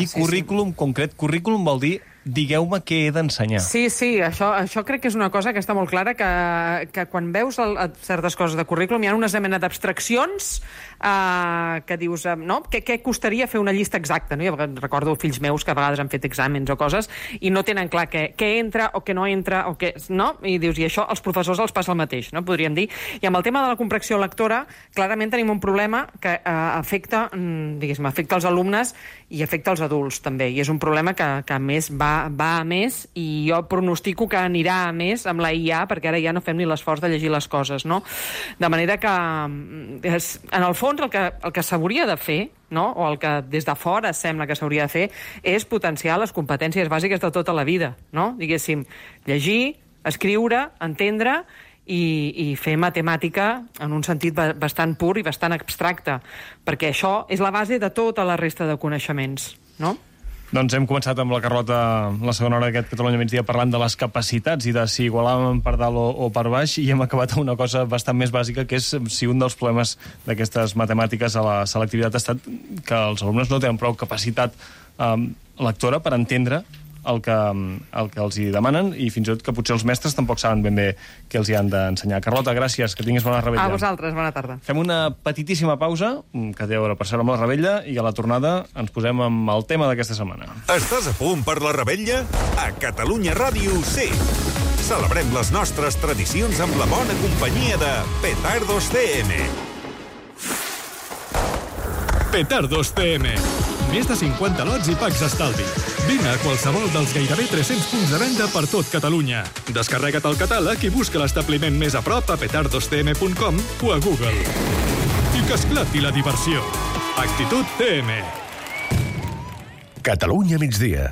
i currículum concret. Currículum vol dir digueu-me què he d'ensenyar. Sí, això crec que és una cosa que està molt clara, que quan veus certes coses de currículum hi ha una mena d'abstraccions que dius, no? Què costaria fer una llista exacta? No? Jo recordo fills meus que a vegades han fet exàmens o coses i no tenen clar què entra o què no entra, no? I dius, i això als professors els passa el mateix, no? Podríem dir. I amb el tema de la comprensió lectora, clarament tenim un problema que afecta els alumnes i afecta els adults, també. I és un problema que a més va a més, i jo pronostico que anirà a més amb la IA, perquè ara ja no fem ni l'esforç de llegir les coses, no? De manera que, en el fons, el que s'hauria de fer, no? O el que des de fora sembla que s'hauria de fer, és potenciar les competències bàsiques de tota la vida, no? Diguéssim, llegir, escriure, entendre i fer matemàtica en un sentit bastant pur i bastant abstracte, perquè això és la base de tota la resta de coneixements, no? Doncs hem començat amb la Carlota la segona hora d'aquest Catalunya Migdia parlant de les capacitats i de si igualàvem per dalt o per baix, i hem acabat amb una cosa bastant més bàsica, que és si un dels problemes d'aquestes matemàtiques a la selectivitat ha estat que els alumnes no tenen prou capacitat lectora per entendre el que els hi demanen, i fins i tot que potser els mestres tampoc saben ben bé què els hi han d'ensenyar. Carlota, gràcies, que tinguis bona revetlla. A vosaltres, bona tarda. Fem una petitíssima pausa, que té a veure per ser amb la revetlla, i a la tornada ens posem amb el tema d'aquesta setmana. Estàs a punt per la revetlla? A Catalunya Ràdio sí! Celebrem les nostres tradicions amb la bona companyia de Petardos CM. Petardos CM. Més de 50 lots i packs d'estalvi. Vine a qualsevol dels gairebé 300 punts de venda per tot Catalunya. Descarrega't el catàleg i busca l'establiment més a prop a petardoscm.com o a Google. I que esclati la diversió. Actitud CM. Catalunya migdia.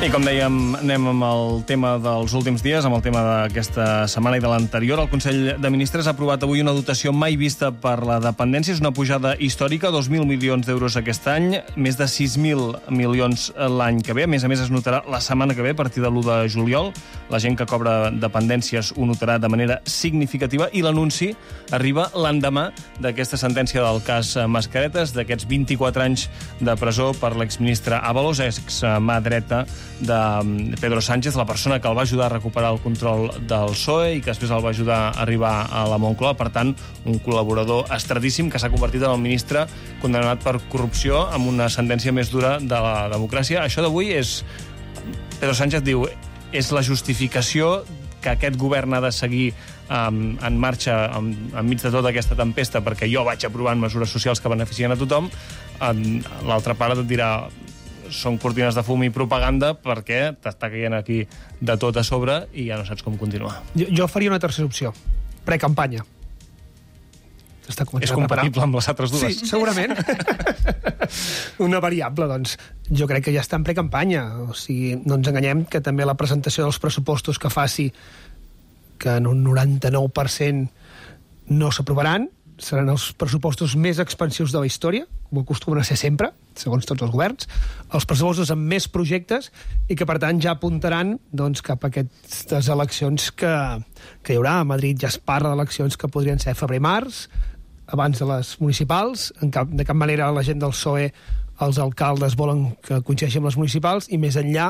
I com dèiem, anem amb el tema dels últims dies, amb el tema d'aquesta setmana i de l'anterior. El Consell de Ministres ha aprovat avui una dotació mai vista per la dependència. És una pujada històrica, 2.000 milions d'euros aquest any, més de 6.000 milions l'any que ve. A més, es notarà la setmana que ve, a partir de l'1 de juliol. La gent que cobra dependències ho notarà de manera significativa, i l'anunci arriba l'endemà d'aquesta sentència del cas Mascaretes, d'aquests 24 anys de presó per l'exministre Ábalos, ex-mà dreta de Pedro Sánchez, la persona que el va ajudar a recuperar el control del PSOE i que després el va ajudar a arribar a la Moncloa. Per tant, un col·laborador estradíssim que s'ha convertit en el ministre condemnat per corrupció amb una sentència més dura de la democràcia. Això d'avui és... Pedro Sánchez diu, és la justificació que aquest govern ha de seguir en marxa enmig de tota aquesta tempesta perquè jo vaig aprovant mesures socials que beneficien a tothom. L'altra part et dirà, són cortines de fum i propaganda perquè t'està caient aquí de tot a sobre i ja no saps com continuar. Jo faria una tercera opció. Precampanya. És compatible amb les altres dues? Sí, segurament. Una variable, doncs. Jo crec que ja està en precampanya. O sigui, no ens enganyem que també la presentació dels pressupostos que faci, que en un 99% no s'aprovaran, seran els pressupostos més expansius de la història, com acostumen a ser sempre, segons tots els governs, els pressupostos amb més projectes i que, per tant, ja apuntaran doncs, cap a aquestes eleccions que hi haurà. A Madrid ja es parla d'eleccions que podrien ser febrer-març, abans de les municipals. De cap manera la gent del PSOE, els alcaldes, volen que coincideixi amb les municipals, i més enllà,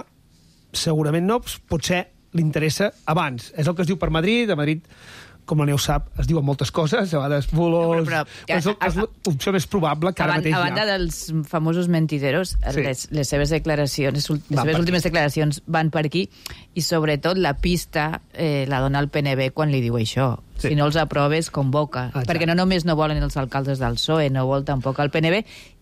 segurament no, potser li interessa abans. És el que es diu per Madrid. A Madrid, com la Neus sap, es diuen moltes coses, a vegades bolos... És l'opció més probable que ara mateix a banda dels famosos mentideros, sí. les seves declaracions, les seves últimes declaracions van per aquí, i sobretot la pista la dona el PNB quan li diu això. Sí. Si no els aproves, convoca. Perquè no només no volen els alcaldes del PSOE, no vol tampoc el PNB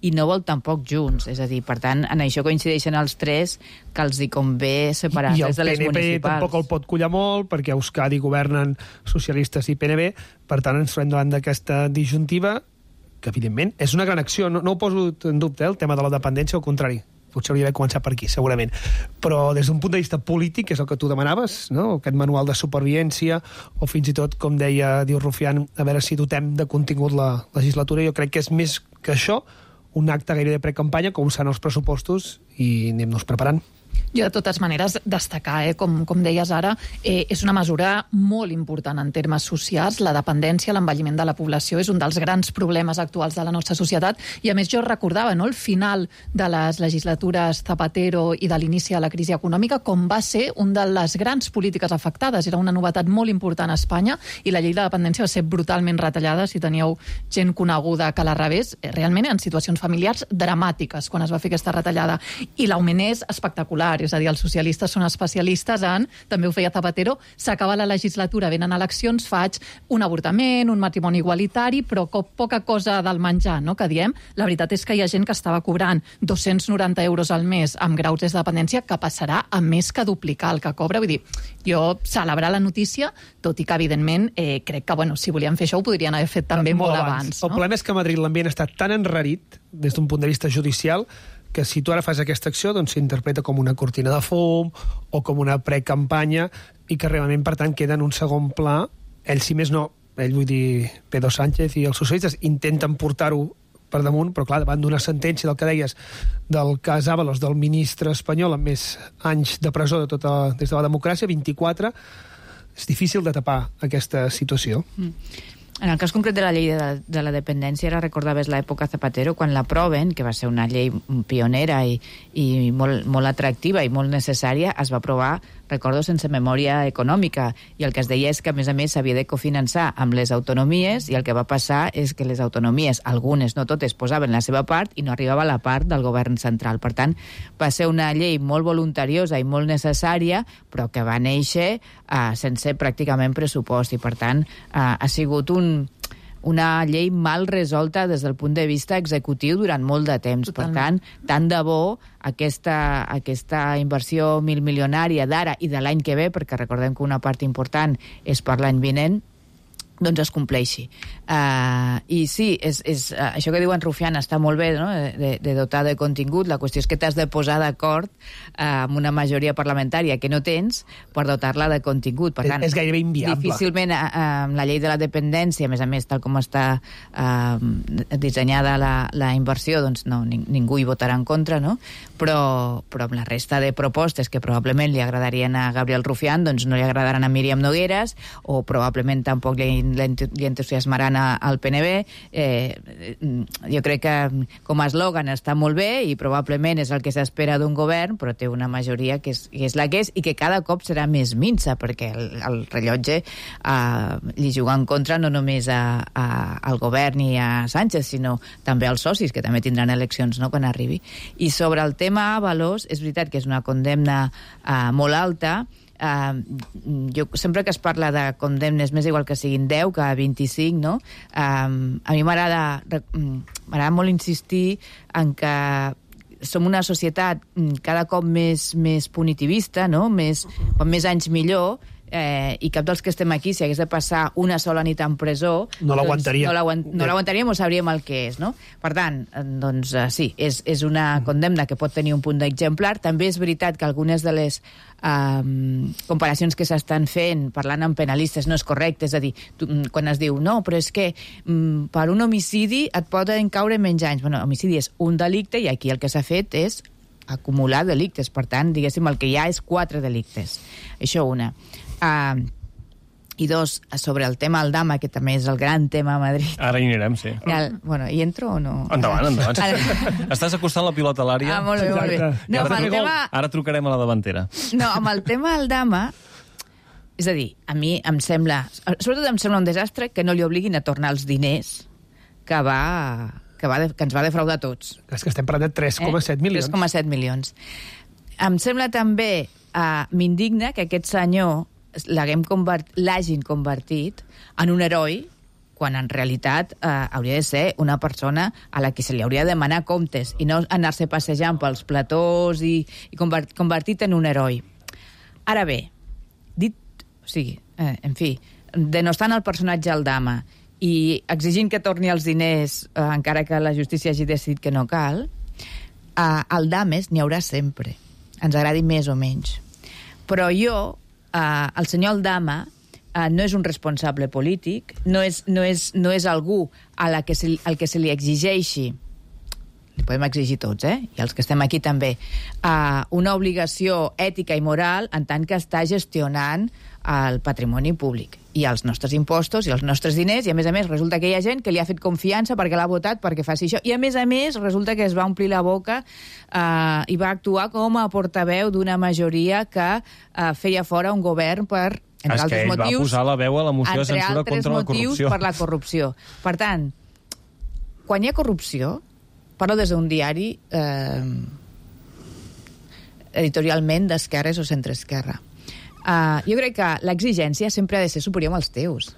i no vol tampoc Junts. És a dir, per tant, en això coincideixen els tres, que els hi convé separar-les de les municipals. I el PNB tampoc el pot collar molt, perquè a Euskadi governen socialistes i PNB, per tant ens trobem davant d'aquesta disjuntiva, que evidentment és una gran acció. No ho poso en dubte, el tema de la dependència, al contrari. Potser hauria d'haver començat per aquí, segurament. Però des d'un punt de vista polític, que és el que tu demanaves, no? Aquest manual de supervivència, o fins i tot, com deia, diu Rufián, a veure si dotem de contingut la legislatura. Jo crec que és més que això, un acte gairebé de precampanya, com seran els pressupostos, i anem-nos preparant. Jo, de totes maneres, destacar, com deies ara, és una mesura molt important en termes socials. La dependència, l'envelliment de la població és un dels grans problemes actuals de la nostra societat, i a més jo recordava, no?, el final de les legislatures Zapatero i de l'inici de la crisi econòmica, com va ser un de les grans polítiques afectades. Era una novetat molt important a Espanya, i la llei de dependència va ser brutalment retallada. Si teníeu gent coneguda que la rebés, realment en situacions familiars dramàtiques quan es va fer aquesta retallada, i l'augment és espectacular. És a dir, els socialistes són especialistes en, també ho feia Zapatero, s'acaba la legislatura, venen eleccions, faig un avortament, un matrimoni igualitari, però poca cosa del menjar, no?, que diem. La veritat és que hi ha gent que estava cobrant 290 euros al mes amb graus de dependència, que passarà a més que duplicar el que cobra. Vull dir, jo celebrar la notícia, tot i que, evidentment, crec que, bueno, si volien fer això ho podrien haver fet també molt abans. El problema és que a Madrid l'ambient està tan enrarit, des d'un punt de vista judicial, que si tu ara fas aquesta acció, doncs s'interpreta com una cortina de fum o com una precampanya, i que realment, per tant, queda en un segon pla. Ell, si més no, vull dir, Pedro Sánchez i els socialistes intenten portar-ho per damunt, però clar, davant d'una sentència del que deies del cas Ábalos, del ministre espanyol amb més anys de presó des de la democràcia, 24, és difícil de tapar aquesta situació. En el cas concret de la llei de la dependència, ara recordaves l'època Zapatero, quan l'aproven, que va ser una llei pionera i molt atractiva i molt necessària, es va aprovar, recordo, sense memòria econòmica, i el que es deia és que, a més, s'havia de cofinançar amb les autonomies, i el que va passar és que les autonomies, algunes, no totes, posaven la seva part i no arribava la part del govern central. Per tant, va ser una llei molt voluntariosa i molt necessària, però que va néixer sense pràcticament pressupost, i per tant ha sigut una llei mal resolta des del punt de vista executiu durant molt de temps. Totalment. Per tant, tant de bo aquesta inversió milmilionària d'ara i de l'any que ve, perquè recordem que una part important és per l'any vinent, doncs es compleixi. I sí, això que diu en Rufián està molt bé, no? de dotar de contingut. La qüestió és que t'has de posar d'acord amb una majoria parlamentària que no tens per dotar-la de contingut. Per tant, és gairebé inviable. Difícilment amb la llei de la dependència, a més, tal com està dissenyada la inversió, doncs no, ningú hi votarà en contra, no? Però amb la resta de propostes que probablement li agradarien a Gabriel Rufián, doncs no li agradaran a Míriam Nogueras, o probablement tampoc li entusiasmaran al PNB. Jo crec que com a eslògan està molt bé i probablement és el que s'espera d'un govern, però té una majoria que és la que és i que cada cop serà més minsa, perquè el rellotge li juga en contra no només al govern i a Sánchez, sinó també als socis, que també tindran eleccions, no?, quan arribi. I sobre el tema Ábalos, és veritat que és una condemna molt alta. Jo sempre que es parla de condemnes, m'és igual que siguin 10 que 25, no? A mi m'agrada molt insistir en que som una societat cada cop més punitivista, no? Quan més anys millor, i cap dels que estem aquí, si hagués de passar una sola nit en presó, no l'aguantaríem. No l'aguantaríem o sabríem el que és, no? Per tant, doncs sí, és una condemna que pot tenir un punt d'exemplar. També és veritat que algunes de les comparacions que s'estan fent parlant amb penalistes no és correcte, és a dir, quan es diu no, però és que per un homicidi et poden caure menys anys. Bueno, homicidi és un delicte i aquí el que s'ha fet és acumular delictes, per tant, diguéssim, el que hi ha és 4 delictes. Això una. I 2, sobre el tema Aldama, que també és el gran tema a Madrid. Ara hi anirem, sí. Bueno, hi entro o no? Endavant. Estàs acostant la pilota a l'àrea. Molt bé, molt bé. No, ara trucarem a la davantera. No, amb el tema Aldama, és a dir, a mi em sembla, sobretot em sembla un desastre que no li obliguin a tornar els diners que ens va defraudar a tots. És que estem parlant de 3,7 milions. 3,7 milions. Em sembla també, m'indigna que aquest senyor l'hagin convertit en un heroi, quan en realitat hauria de ser una persona a la que se li hauria de demanar comptes i no anar-se passejant pels platós i convertit en un heroi. Ara bé, en fi, denostant el personatge Aldama i exigint que torni els diners encara que la justícia hagi decidit que no cal, Aldames n'hi haurà sempre, ens agradi més o menys. Però el senyor Aldama no és un responsable polític, no és algú al que se li exigeixi, li podem exigir tots, i els que estem aquí també, una obligació ètica i moral en tant que està gestionant el patrimoni públic i els nostres impostos i els nostres diners, i a més resulta que hi ha gent que li ha fet confiança perquè l'ha votat perquè faci això, i a més resulta que es va omplir la boca i va actuar com a portaveu d'una majoria que feia fora un govern per, entre altres motius, va posar la veu a la moció de censura contra la corrupció. Per la corrupció. Per tant, quan hi ha corrupció, parlo des d'un diari editorialment d'esquerres o centreesquerra. Jo crec que l'exigència sempre ha de ser superior als teus.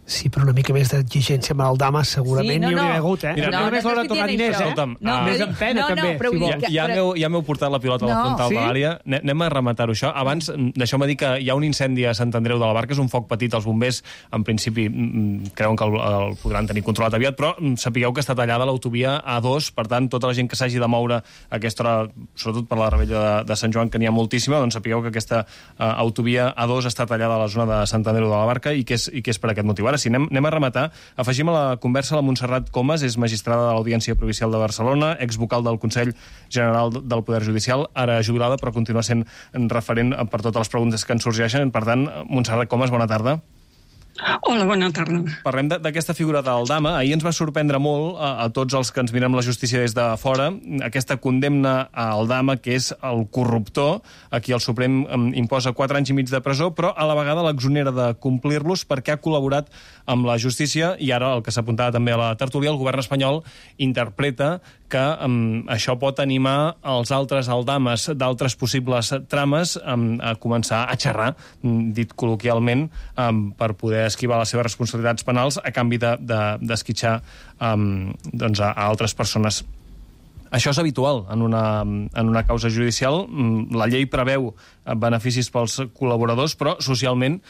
Sí, però una mica més d'exigència amb el Dama segurament n'hi hauria hagut, Mira, no només l'hora de tornar diners, més en pena, també. Ja m'heu portat la pilota a la frontal de l'àrea. Anem a rematar-ho, això. Abans, deixeu-me dir que hi ha un incendi a Sant Andreu de la Barca, és un foc petit, els bombers, en principi, creuen que el podran tenir controlat aviat, però sapigueu que està tallada l'autovia A2, per tant, tota la gent que s'hagi de moure a aquesta hora, sobretot per la Rebella de Sant Joan, que n'hi ha moltíssima, doncs sapigueu que aquesta autovia A2 està tallada a la zona de Sant Andreu de la Barca i que és per aquest motiu. Ara sí, anem a rematar. Afegim a la conversa la Montserrat Comas, és magistrada de l'Audiència Provincial de Barcelona, exvocal del Consell General del Poder Judicial, ara jubilada, però continua sent referent per totes les preguntes que ens sorgeixen. Per tant, Montserrat Comas, bona tarda. Hola, bona tarda. Parlem d'aquesta figura del Dama. Ahir ens va sorprendre molt a tots els que ens mirem la justícia des de fora aquesta condemna al Dama, que és el corruptor, a qui el Suprem imposa 4 anys i mig de presó, però a la vegada l'exonera de complir-los perquè ha col·laborat amb la justícia, i ara, el que s'apuntava també a la tertúlia, el govern espanyol interpreta que això pot animar els altres aldames d'altres possibles trames a començar a xerrar, dit col·loquialment, per poder esquivar les seves responsabilitats penals a canvi d'esquitxar a altres persones. Això és habitual en una causa judicial. La llei preveu beneficis pels col·laboradors, però socialment,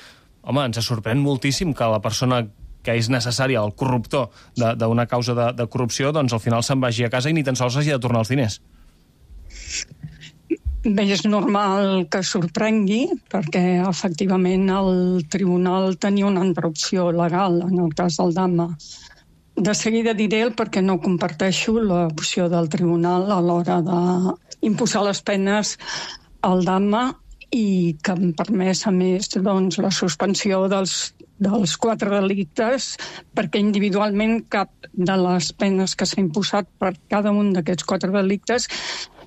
home, ens sorprèn moltíssim que la persona que és necessària, el corruptor d'una causa de corrupció, doncs al final se'n vagi a casa i ni tan sols hagi de tornar els diners. Bé, és normal que sorprengui, perquè efectivament el tribunal tenia una altra opció legal en el cas del Dama. De seguida diré el perquè no comparteixo l'opció del tribunal a l'hora d'imposar les penes al Dama i que em permès, a més, la suspensió dels 4 delictes, perquè individualment cap de les penes que s'ha imposat per cada un d'aquests 4 delictes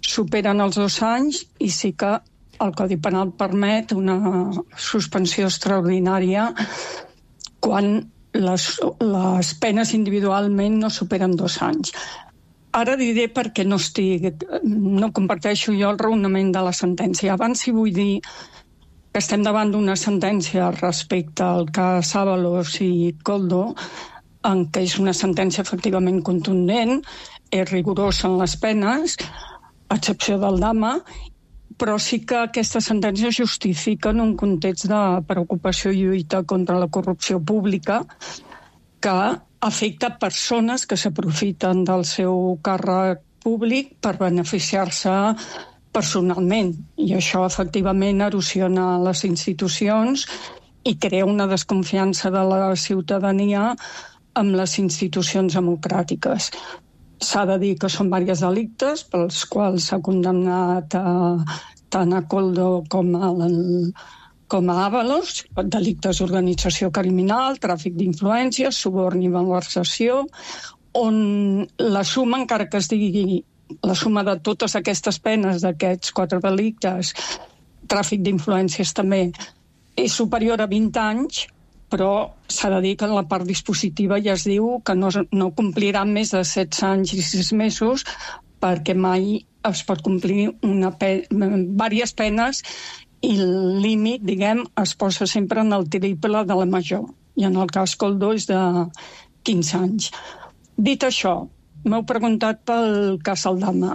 superen els 2 anys, i sí que el Codi Penal permet una suspensió extraordinària quan les penes individualment no superen 2 anys. Ara diré perquè no comparteixo jo el raonament de la sentència. Abans sí vull dir que estem davant d'una sentència respecte al cas Ábalos i Koldo, en què és una sentència efectivament contundent, és rigorosa en les penes, a excepció del Dama, però sí que aquesta sentència justifica en un context de preocupació i lluita contra la corrupció pública que afecta persones que s'aprofiten del seu càrrec públic per beneficiar-se personalment. I això efectivament erosiona les institucions i crea una desconfiança de la ciutadania amb les institucions democràtiques. S'ha de dir que són diversos delictes pels quals s'ha condemnat tant a Koldo com a Ábalos, delictes d'organització criminal, tràfic d'influències, suborn i malversació, on la suma, encara que es digui la suma de totes aquestes penes d'aquests 4 delictes, tràfic d'influències també, és superior a 20 anys, però s'ha de dir que en la part dispositiva ja es diu que no compliran més de 16 anys i 6 mesos perquè mai es pot complir diverses penes i el límit, es posa sempre en el triple de la major. I en el cas Koldo és de 15 anys. Dit això, m'heu preguntat pel cas Aldama.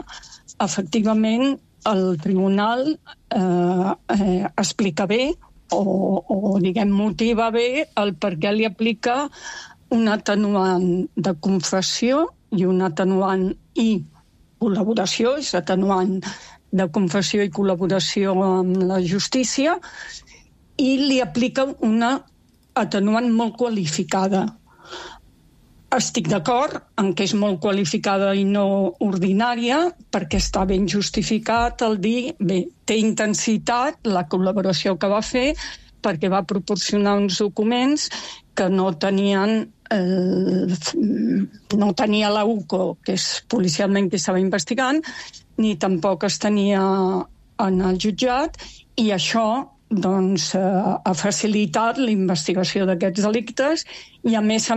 Efectivament, el tribunal explica bé o motiva bé el per què li aplica un atenuant de confessió i un atenuant i col·laboració, és atenuant de confessió i col·laboració amb la justícia, i li aplica una atenuant molt qualificada. Estic d'acord en que és molt qualificada i no ordinària, perquè està ben justificat el dir, bé, té intensitat la col·laboració que va fer perquè va proporcionar uns documents que no tenia la UCO, que és policialment qui estava investigant, ni tampoc es tenia en el jutjat, i això ha facilitat la investigació d'aquests delictes i, a més,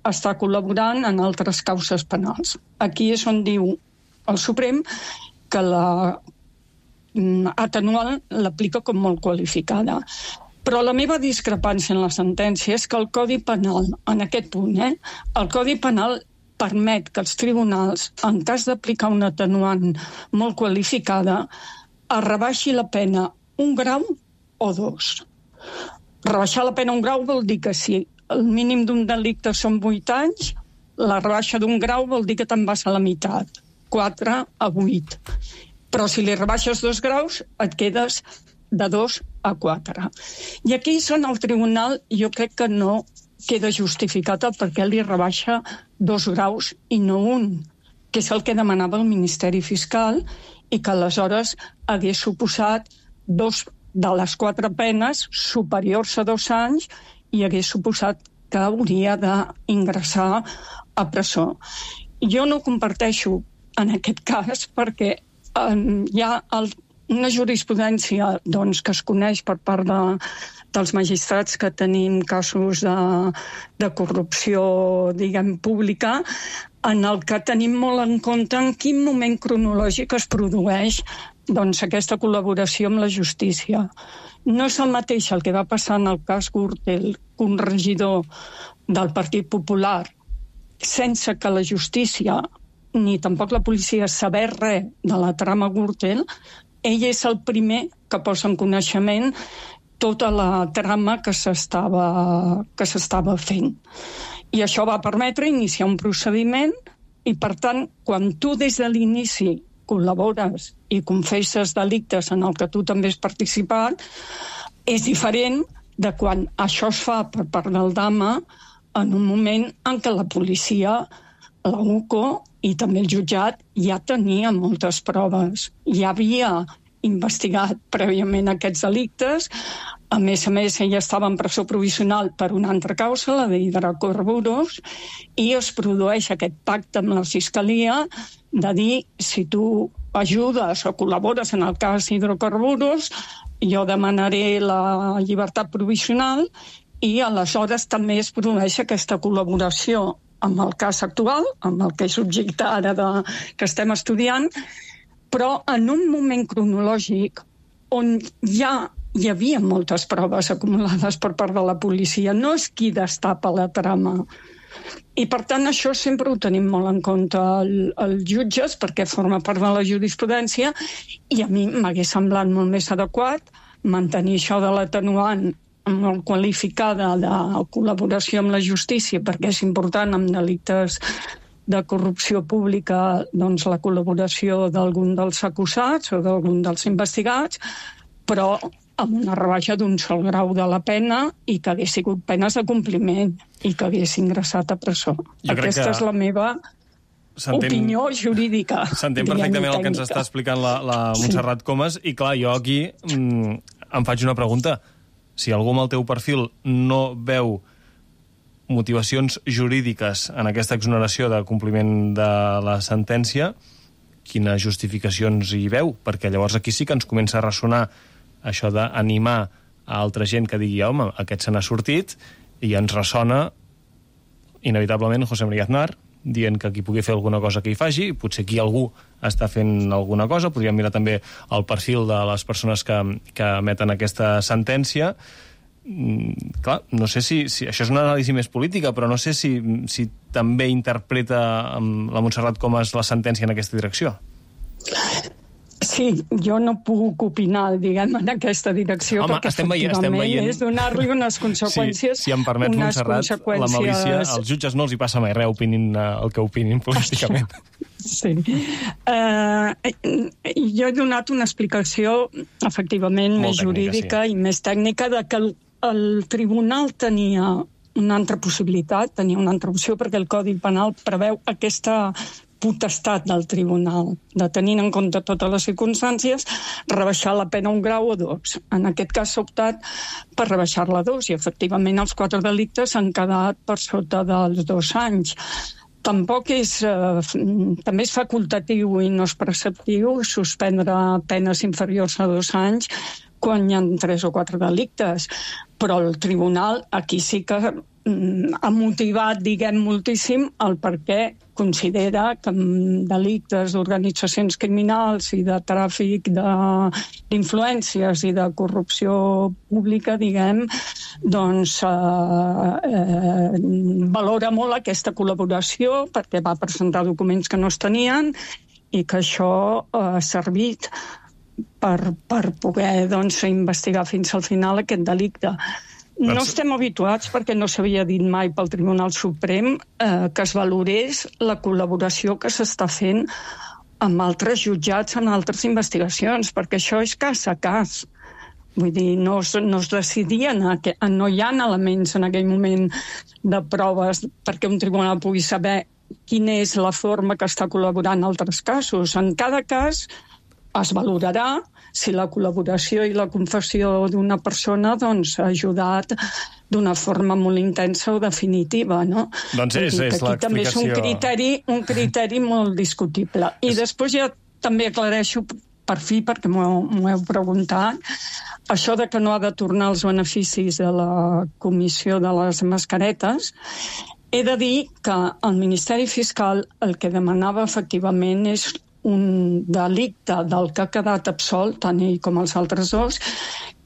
està col·laborant en altres causes penals. Aquí és on diu el Suprem que la atenuant l'aplica com molt qualificada. Però la meva discrepància en la sentència és que el Codi Penal, en aquest punt, el Codi Penal permet que els tribunals, en cas d'aplicar una atenuant molt qualificada, es rebaixi la pena 1 grau o 2. Rebaixar la pena 1 grau vol dir que si el mínim d'un delicte són 8 anys, la rebaixa d'1 grau vol dir que te'n vas a la meitat, 4 a 8. Però si li rebaixes 2 graus, et quedes de 2 a 4. I aquí en el tribunal jo crec que no queda justificat el perquè li rebaixa 2 graus i no 1, que és el que demanava el Ministeri Fiscal i que aleshores hagués suposat 2 de les 4 penes superiors a 2 anys i hagués suposat que hauria d'ingressar a presó. Jo no comparteixo en aquest cas perquè hi ha una jurisprudència que es coneix per part dels magistrats que tenim casos de corrupció, diguem, pública, en el que tenim molt en compte en quin moment cronològic es produeix aquesta col·laboració amb la justícia. No és el mateix el que va passar en el cas Gürtel, un regidor del Partit Popular, sense que la justícia ni tampoc la policia saber res de la trama Gürtel. Ell és el primer que posa en coneixement tota la trama que s'estava fent. I això va permetre iniciar un procediment i, per tant, quan tu des de l'inici col·labores i confesses delictes en el que tu també has participat, és diferent de quan això es fa per part del DAMA en un moment en què la policia, la UCO i també el jutjat ja tenia moltes proves. Ja havia investigat prèviament aquests delictes. A més, ella estava en presó provisional per una altra causa, la d'hidrocarburs, i es produeix aquest pacte amb la Fiscalia de dir, si tu ajudes o col·labores en el cas hidrocarburs, jo demanaré la llibertat provisional i aleshores també es produeix aquesta col·laboració amb el cas actual, amb el que és objecte ara que estem estudiant, però en un moment cronològic on ja hi havia moltes proves acumulades per part de la policia. No és qui destapa la trama. I, per tant, això sempre ho tenim molt en compte els jutges, perquè forma part de la jurisprudència, i a mi m'hagués semblat molt més adequat mantenir això de l'atenuant molt qualificada de col·laboració amb la justícia, perquè és important en delictes de corrupció pública la col·laboració d'algun dels acusats o d'algun dels investigats, però amb una rebaixa d'un sol grau de la pena i que hagués sigut penes de compliment i que hagués ingressat a presó. Aquesta és la meva opinió jurídica. S'entén perfectament el que ens està explicant la Montserrat Comas i, clar, jo aquí em faig una pregunta. Si algú amb el teu perfil no veu motivacions jurídiques en aquesta exoneració de compliment de la sentència, quines justificacions hi veu? Perquè llavors aquí sí que ens comença a ressonar això d'animar a altra gent que digui, home, aquest se n'ha sortit, i ens ressona inevitablement José María Aznar dient que qui pugui fer alguna cosa que hi faci, potser aquí algú està fent alguna cosa. Podríem mirar també el perfil de les persones que emeten aquesta sentència. Clar, no sé si això és una anàlisi més política, però no sé si també interpreta la Montserrat Comas la sentència en aquesta direcció. Sí, jo no puc opinar, diguem, en aquesta direcció, home, perquè estem efectivament veient... és donar-li unes conseqüències... Si em permets, Montserrat, la malícia, als jutges no els hi passa mai res, opinin el que opinin políticament. Sí. Jo he donat una explicació, efectivament, més jurídica i més tècnica, de que el tribunal tenia una altra possibilitat, tenia una altra opció, perquè el Codi Penal preveu aquesta potestat del tribunal, de tenint en compte totes les circumstàncies, rebaixar la pena un grau o 2. En aquest cas s'ha optat per rebaixar-la a 2 i, efectivament, els 4 delictes han quedat per sota dels 2 anys. Tampoc també és facultatiu i no és preceptiu suspendre penes inferiors a 2 anys quan hi ha 3 o 4 delictes. Però el tribunal aquí sí que ha motivat, diguem, moltíssim el perquè considera que en delictes d'organitzacions criminals i de tràfic d'influències i de corrupció pública, diguem, doncs valora molt aquesta col·laboració perquè va presentar documents que no es tenien i que això ha servit per poder investigar fins al final aquest delicte. No estem habituats, perquè no s'havia dit mai pel Tribunal Suprem, que es valorés la col·laboració que s'està fent amb altres jutjats en altres investigacions, perquè això és cas a cas. Vull dir, no es decidien, no hi ha elements en aquell moment de proves perquè un tribunal pugui saber quina és la forma que està col·laborant en altres casos. En cada cas es valorarà si la col·laboració i la confessió d'una persona ha ajudat d'una forma molt intensa o definitiva, no? Doncs és l'explicació. Aquí també és un criteri molt discutible. I després ja també aclareixo per fi, perquè m'ho heu preguntat, això de que no ha de tornar els beneficis de la comissió de les mascaretes. He de dir que el Ministeri Fiscal el que demanava efectivament és un delicte del que ha quedat absolt, tant ell com els altres dos,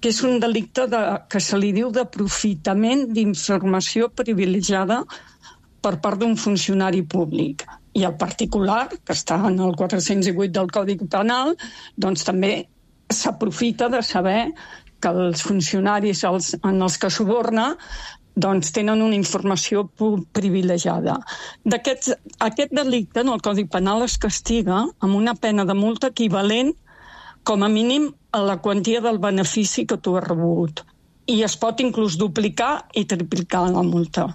que és un delicte que se li diu d'aprofitament d'informació privilegiada per part d'un funcionari públic. I el particular, que està en el 408 del Codi Penal, doncs també s'aprofita de saber que els funcionaris en els que suborna doncs tenen una informació privilegiada. Aquest delicte en el Codi Penal es castiga amb una pena de multa equivalent com a mínim a la quantia del benefici que tu has rebut. I es pot inclús duplicar i triplicar la multa.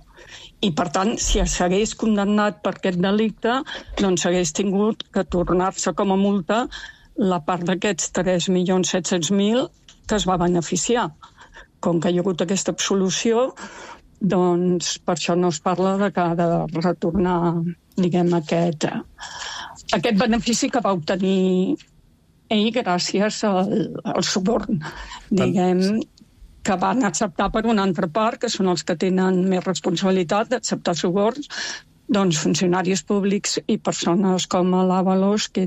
I, per tant, si s'hagués condemnat per aquest delicte, doncs hagués tingut que tornar-se com a multa la part d'aquests 3.700.000 que es va beneficiar. Com que hi ha hagut aquesta absolució, doncs per això no es parla de que ha de retornar, diguem, aquest benefici que va obtenir ell gràcies al suborn, diguem, que van acceptar per una altra part, que són els que tenen més responsabilitat d'acceptar suborns, doncs funcionaris públics i persones com l'Avalos, que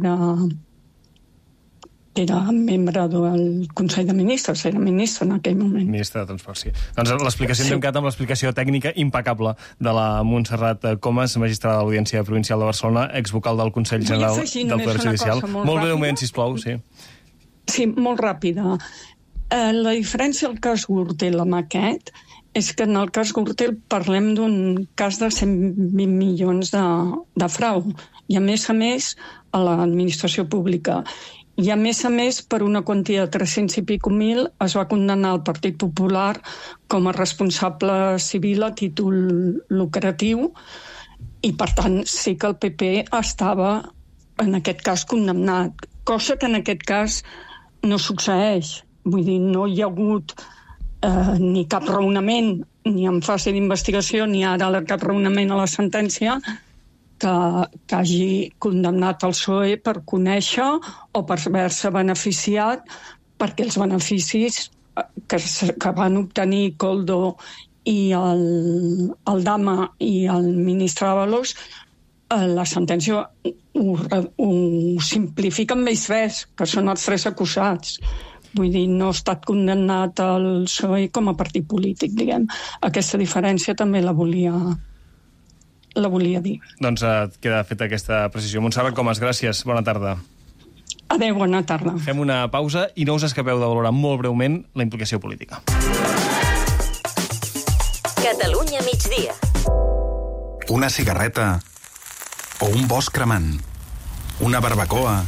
era membre del Consell de Ministres, era ministre en aquell moment. Ministre de Transport, sí. Doncs l'explicació hem quedat amb l'explicació tècnica impecable de la Montserrat Comas, magistrada de l'Audiència Provincial de Barcelona, exvocal del Consell General del Poder Judicial. Molt breument, sisplau, sí. Sí, molt ràpida. La diferència al cas Gürtel amb aquest és que en el cas Gürtel parlem d'un cas de 120 milions de frau. I a més, a l'administració pública. I a més, per una quantia de 300 i pico mil es va condenar el Partit Popular com a responsable civil a títol lucratiu i, per tant, sí que el PP estava, en aquest cas, condemnat. Cosa que en aquest cas no succeeix. Vull dir, no hi ha hagut ni cap raonament, ni en fase d'investigació, ni ara cap raonament a la sentència que hagi condemnat el PSOE per conèixer o per haver-se beneficiat, perquè els beneficis que van obtenir Koldo i el Dama i el ministre Ábalos, la sentència ho simplifica amb ells tres, que són els tres acusats. Vull dir, no ha estat condemnat el PSOE com a partit polític, diguem. Aquesta diferència també la volia dir. Doncs queda feta aquesta precisió. Montserrat Comas, gràcies. Bona tarda. Adéu, bona tarda. Fem una pausa i no us escapeu de valorar molt breument la implicació política. Catalunya migdia. Una cigarreta o un bosc cremant, una barbacoa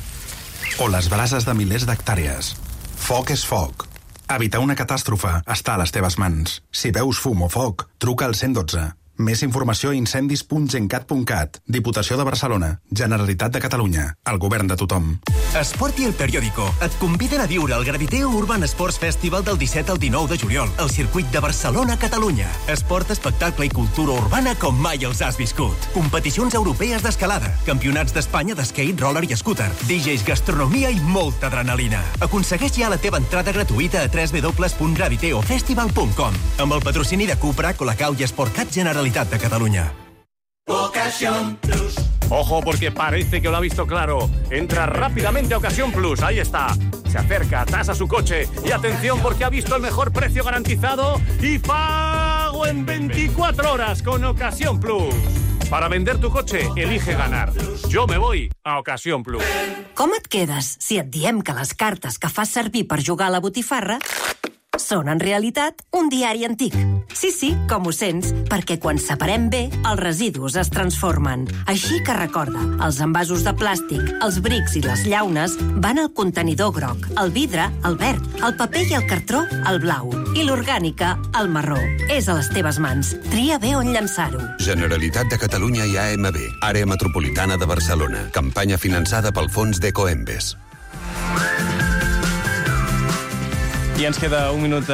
o les brases de milers d'hectàrees. Foc és foc. Evitar una catàstrofe està a les teves mans. Si veus fum o foc, truca al 112. Més informació a incendis.gencat.cat. Diputació de Barcelona. Generalitat de Catalunya. El govern de tothom. Esport i El Periódico et conviden a viure el Graviteo Urban Sports Festival del 17 al 19 de juliol al circuit de Barcelona, Catalunya. Esport, espectacle i cultura urbana com mai els has viscut. Competicions europees d'escalada, campionats d'Espanya d'skate, roller i scooter, DJs, gastronomia i molta adrenalina. Aconsegueix ja la teva entrada gratuïta a www.graviteofestival.com amb el patrocini de Cupra, Colacao i Sportcat Generalitat de Catalunya. Ocasión Plus. Ojo, porque parece que lo ha visto claro. Entra rápidamente a Ocasión Plus. Ahí está. Se acerca, tasa su coche. Y atención, porque ha visto el mejor precio garantizado y pago en 24 horas con Ocasión Plus. Para vender tu coche, elige ganar. Yo me voy a Ocasión Plus. Com et quedes si et diem que les cartes que fas servir per jugar a la botifarra són, en realitat, un diari antic? Sí, com ho sents, perquè quan separem bé, els residus es transformen. Així que recorda, els envasos de plàstic, els brics i les llaunes van al contenidor groc, el vidre, el verd, el paper i el cartró, el blau, i l'orgànica, el marró. És a les teves mans. Tria bé on llançar-ho. Generalitat de Catalunya i AMB, Àrea Metropolitana de Barcelona. Campanya finançada pel Fons d'Ecoembes. I ens queda un minut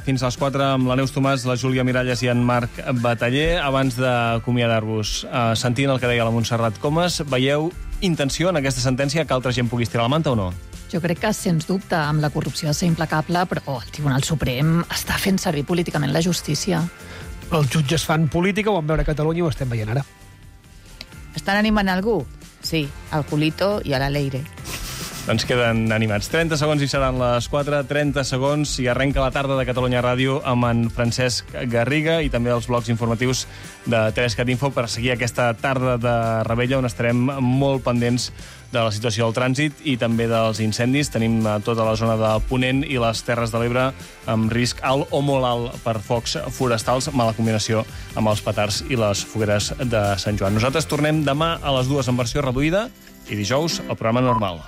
fins a les 4 amb la Neus Tomàs, la Júlia Miralles i en Marc Bataller. Abans d'acomiadar-vos, sentint el que deia la Montserrat Comas, veieu intenció en aquesta sentència que altra gent pugui estirar la manta o no? Jo crec que, sens dubte, amb la corrupció ha de ser implacable, però el Tribunal Suprem està fent servir políticament la justícia. Els jutges fan política, ho vam veure a Catalunya i ho estem veient ara. Estan animant algú? Sí, al Julito i a la Leire. Doncs queden animats. 30 segons i seran les 4, 30 segons i arrenca la tarda de Catalunya Ràdio amb en Francesc Garriga i també els blocs informatius de Teresa Catinfo per seguir aquesta tarda de Rebella on estarem molt pendents de la situació del trànsit i també dels incendis. Tenim tota la zona de Ponent i les Terres de l'Ebre amb risc alt o molt alt per focs forestals, mala combinació amb els petards i les fogueres de Sant Joan. Nosaltres tornem demà a les 2 en versió reduïda i dijous el programa normal.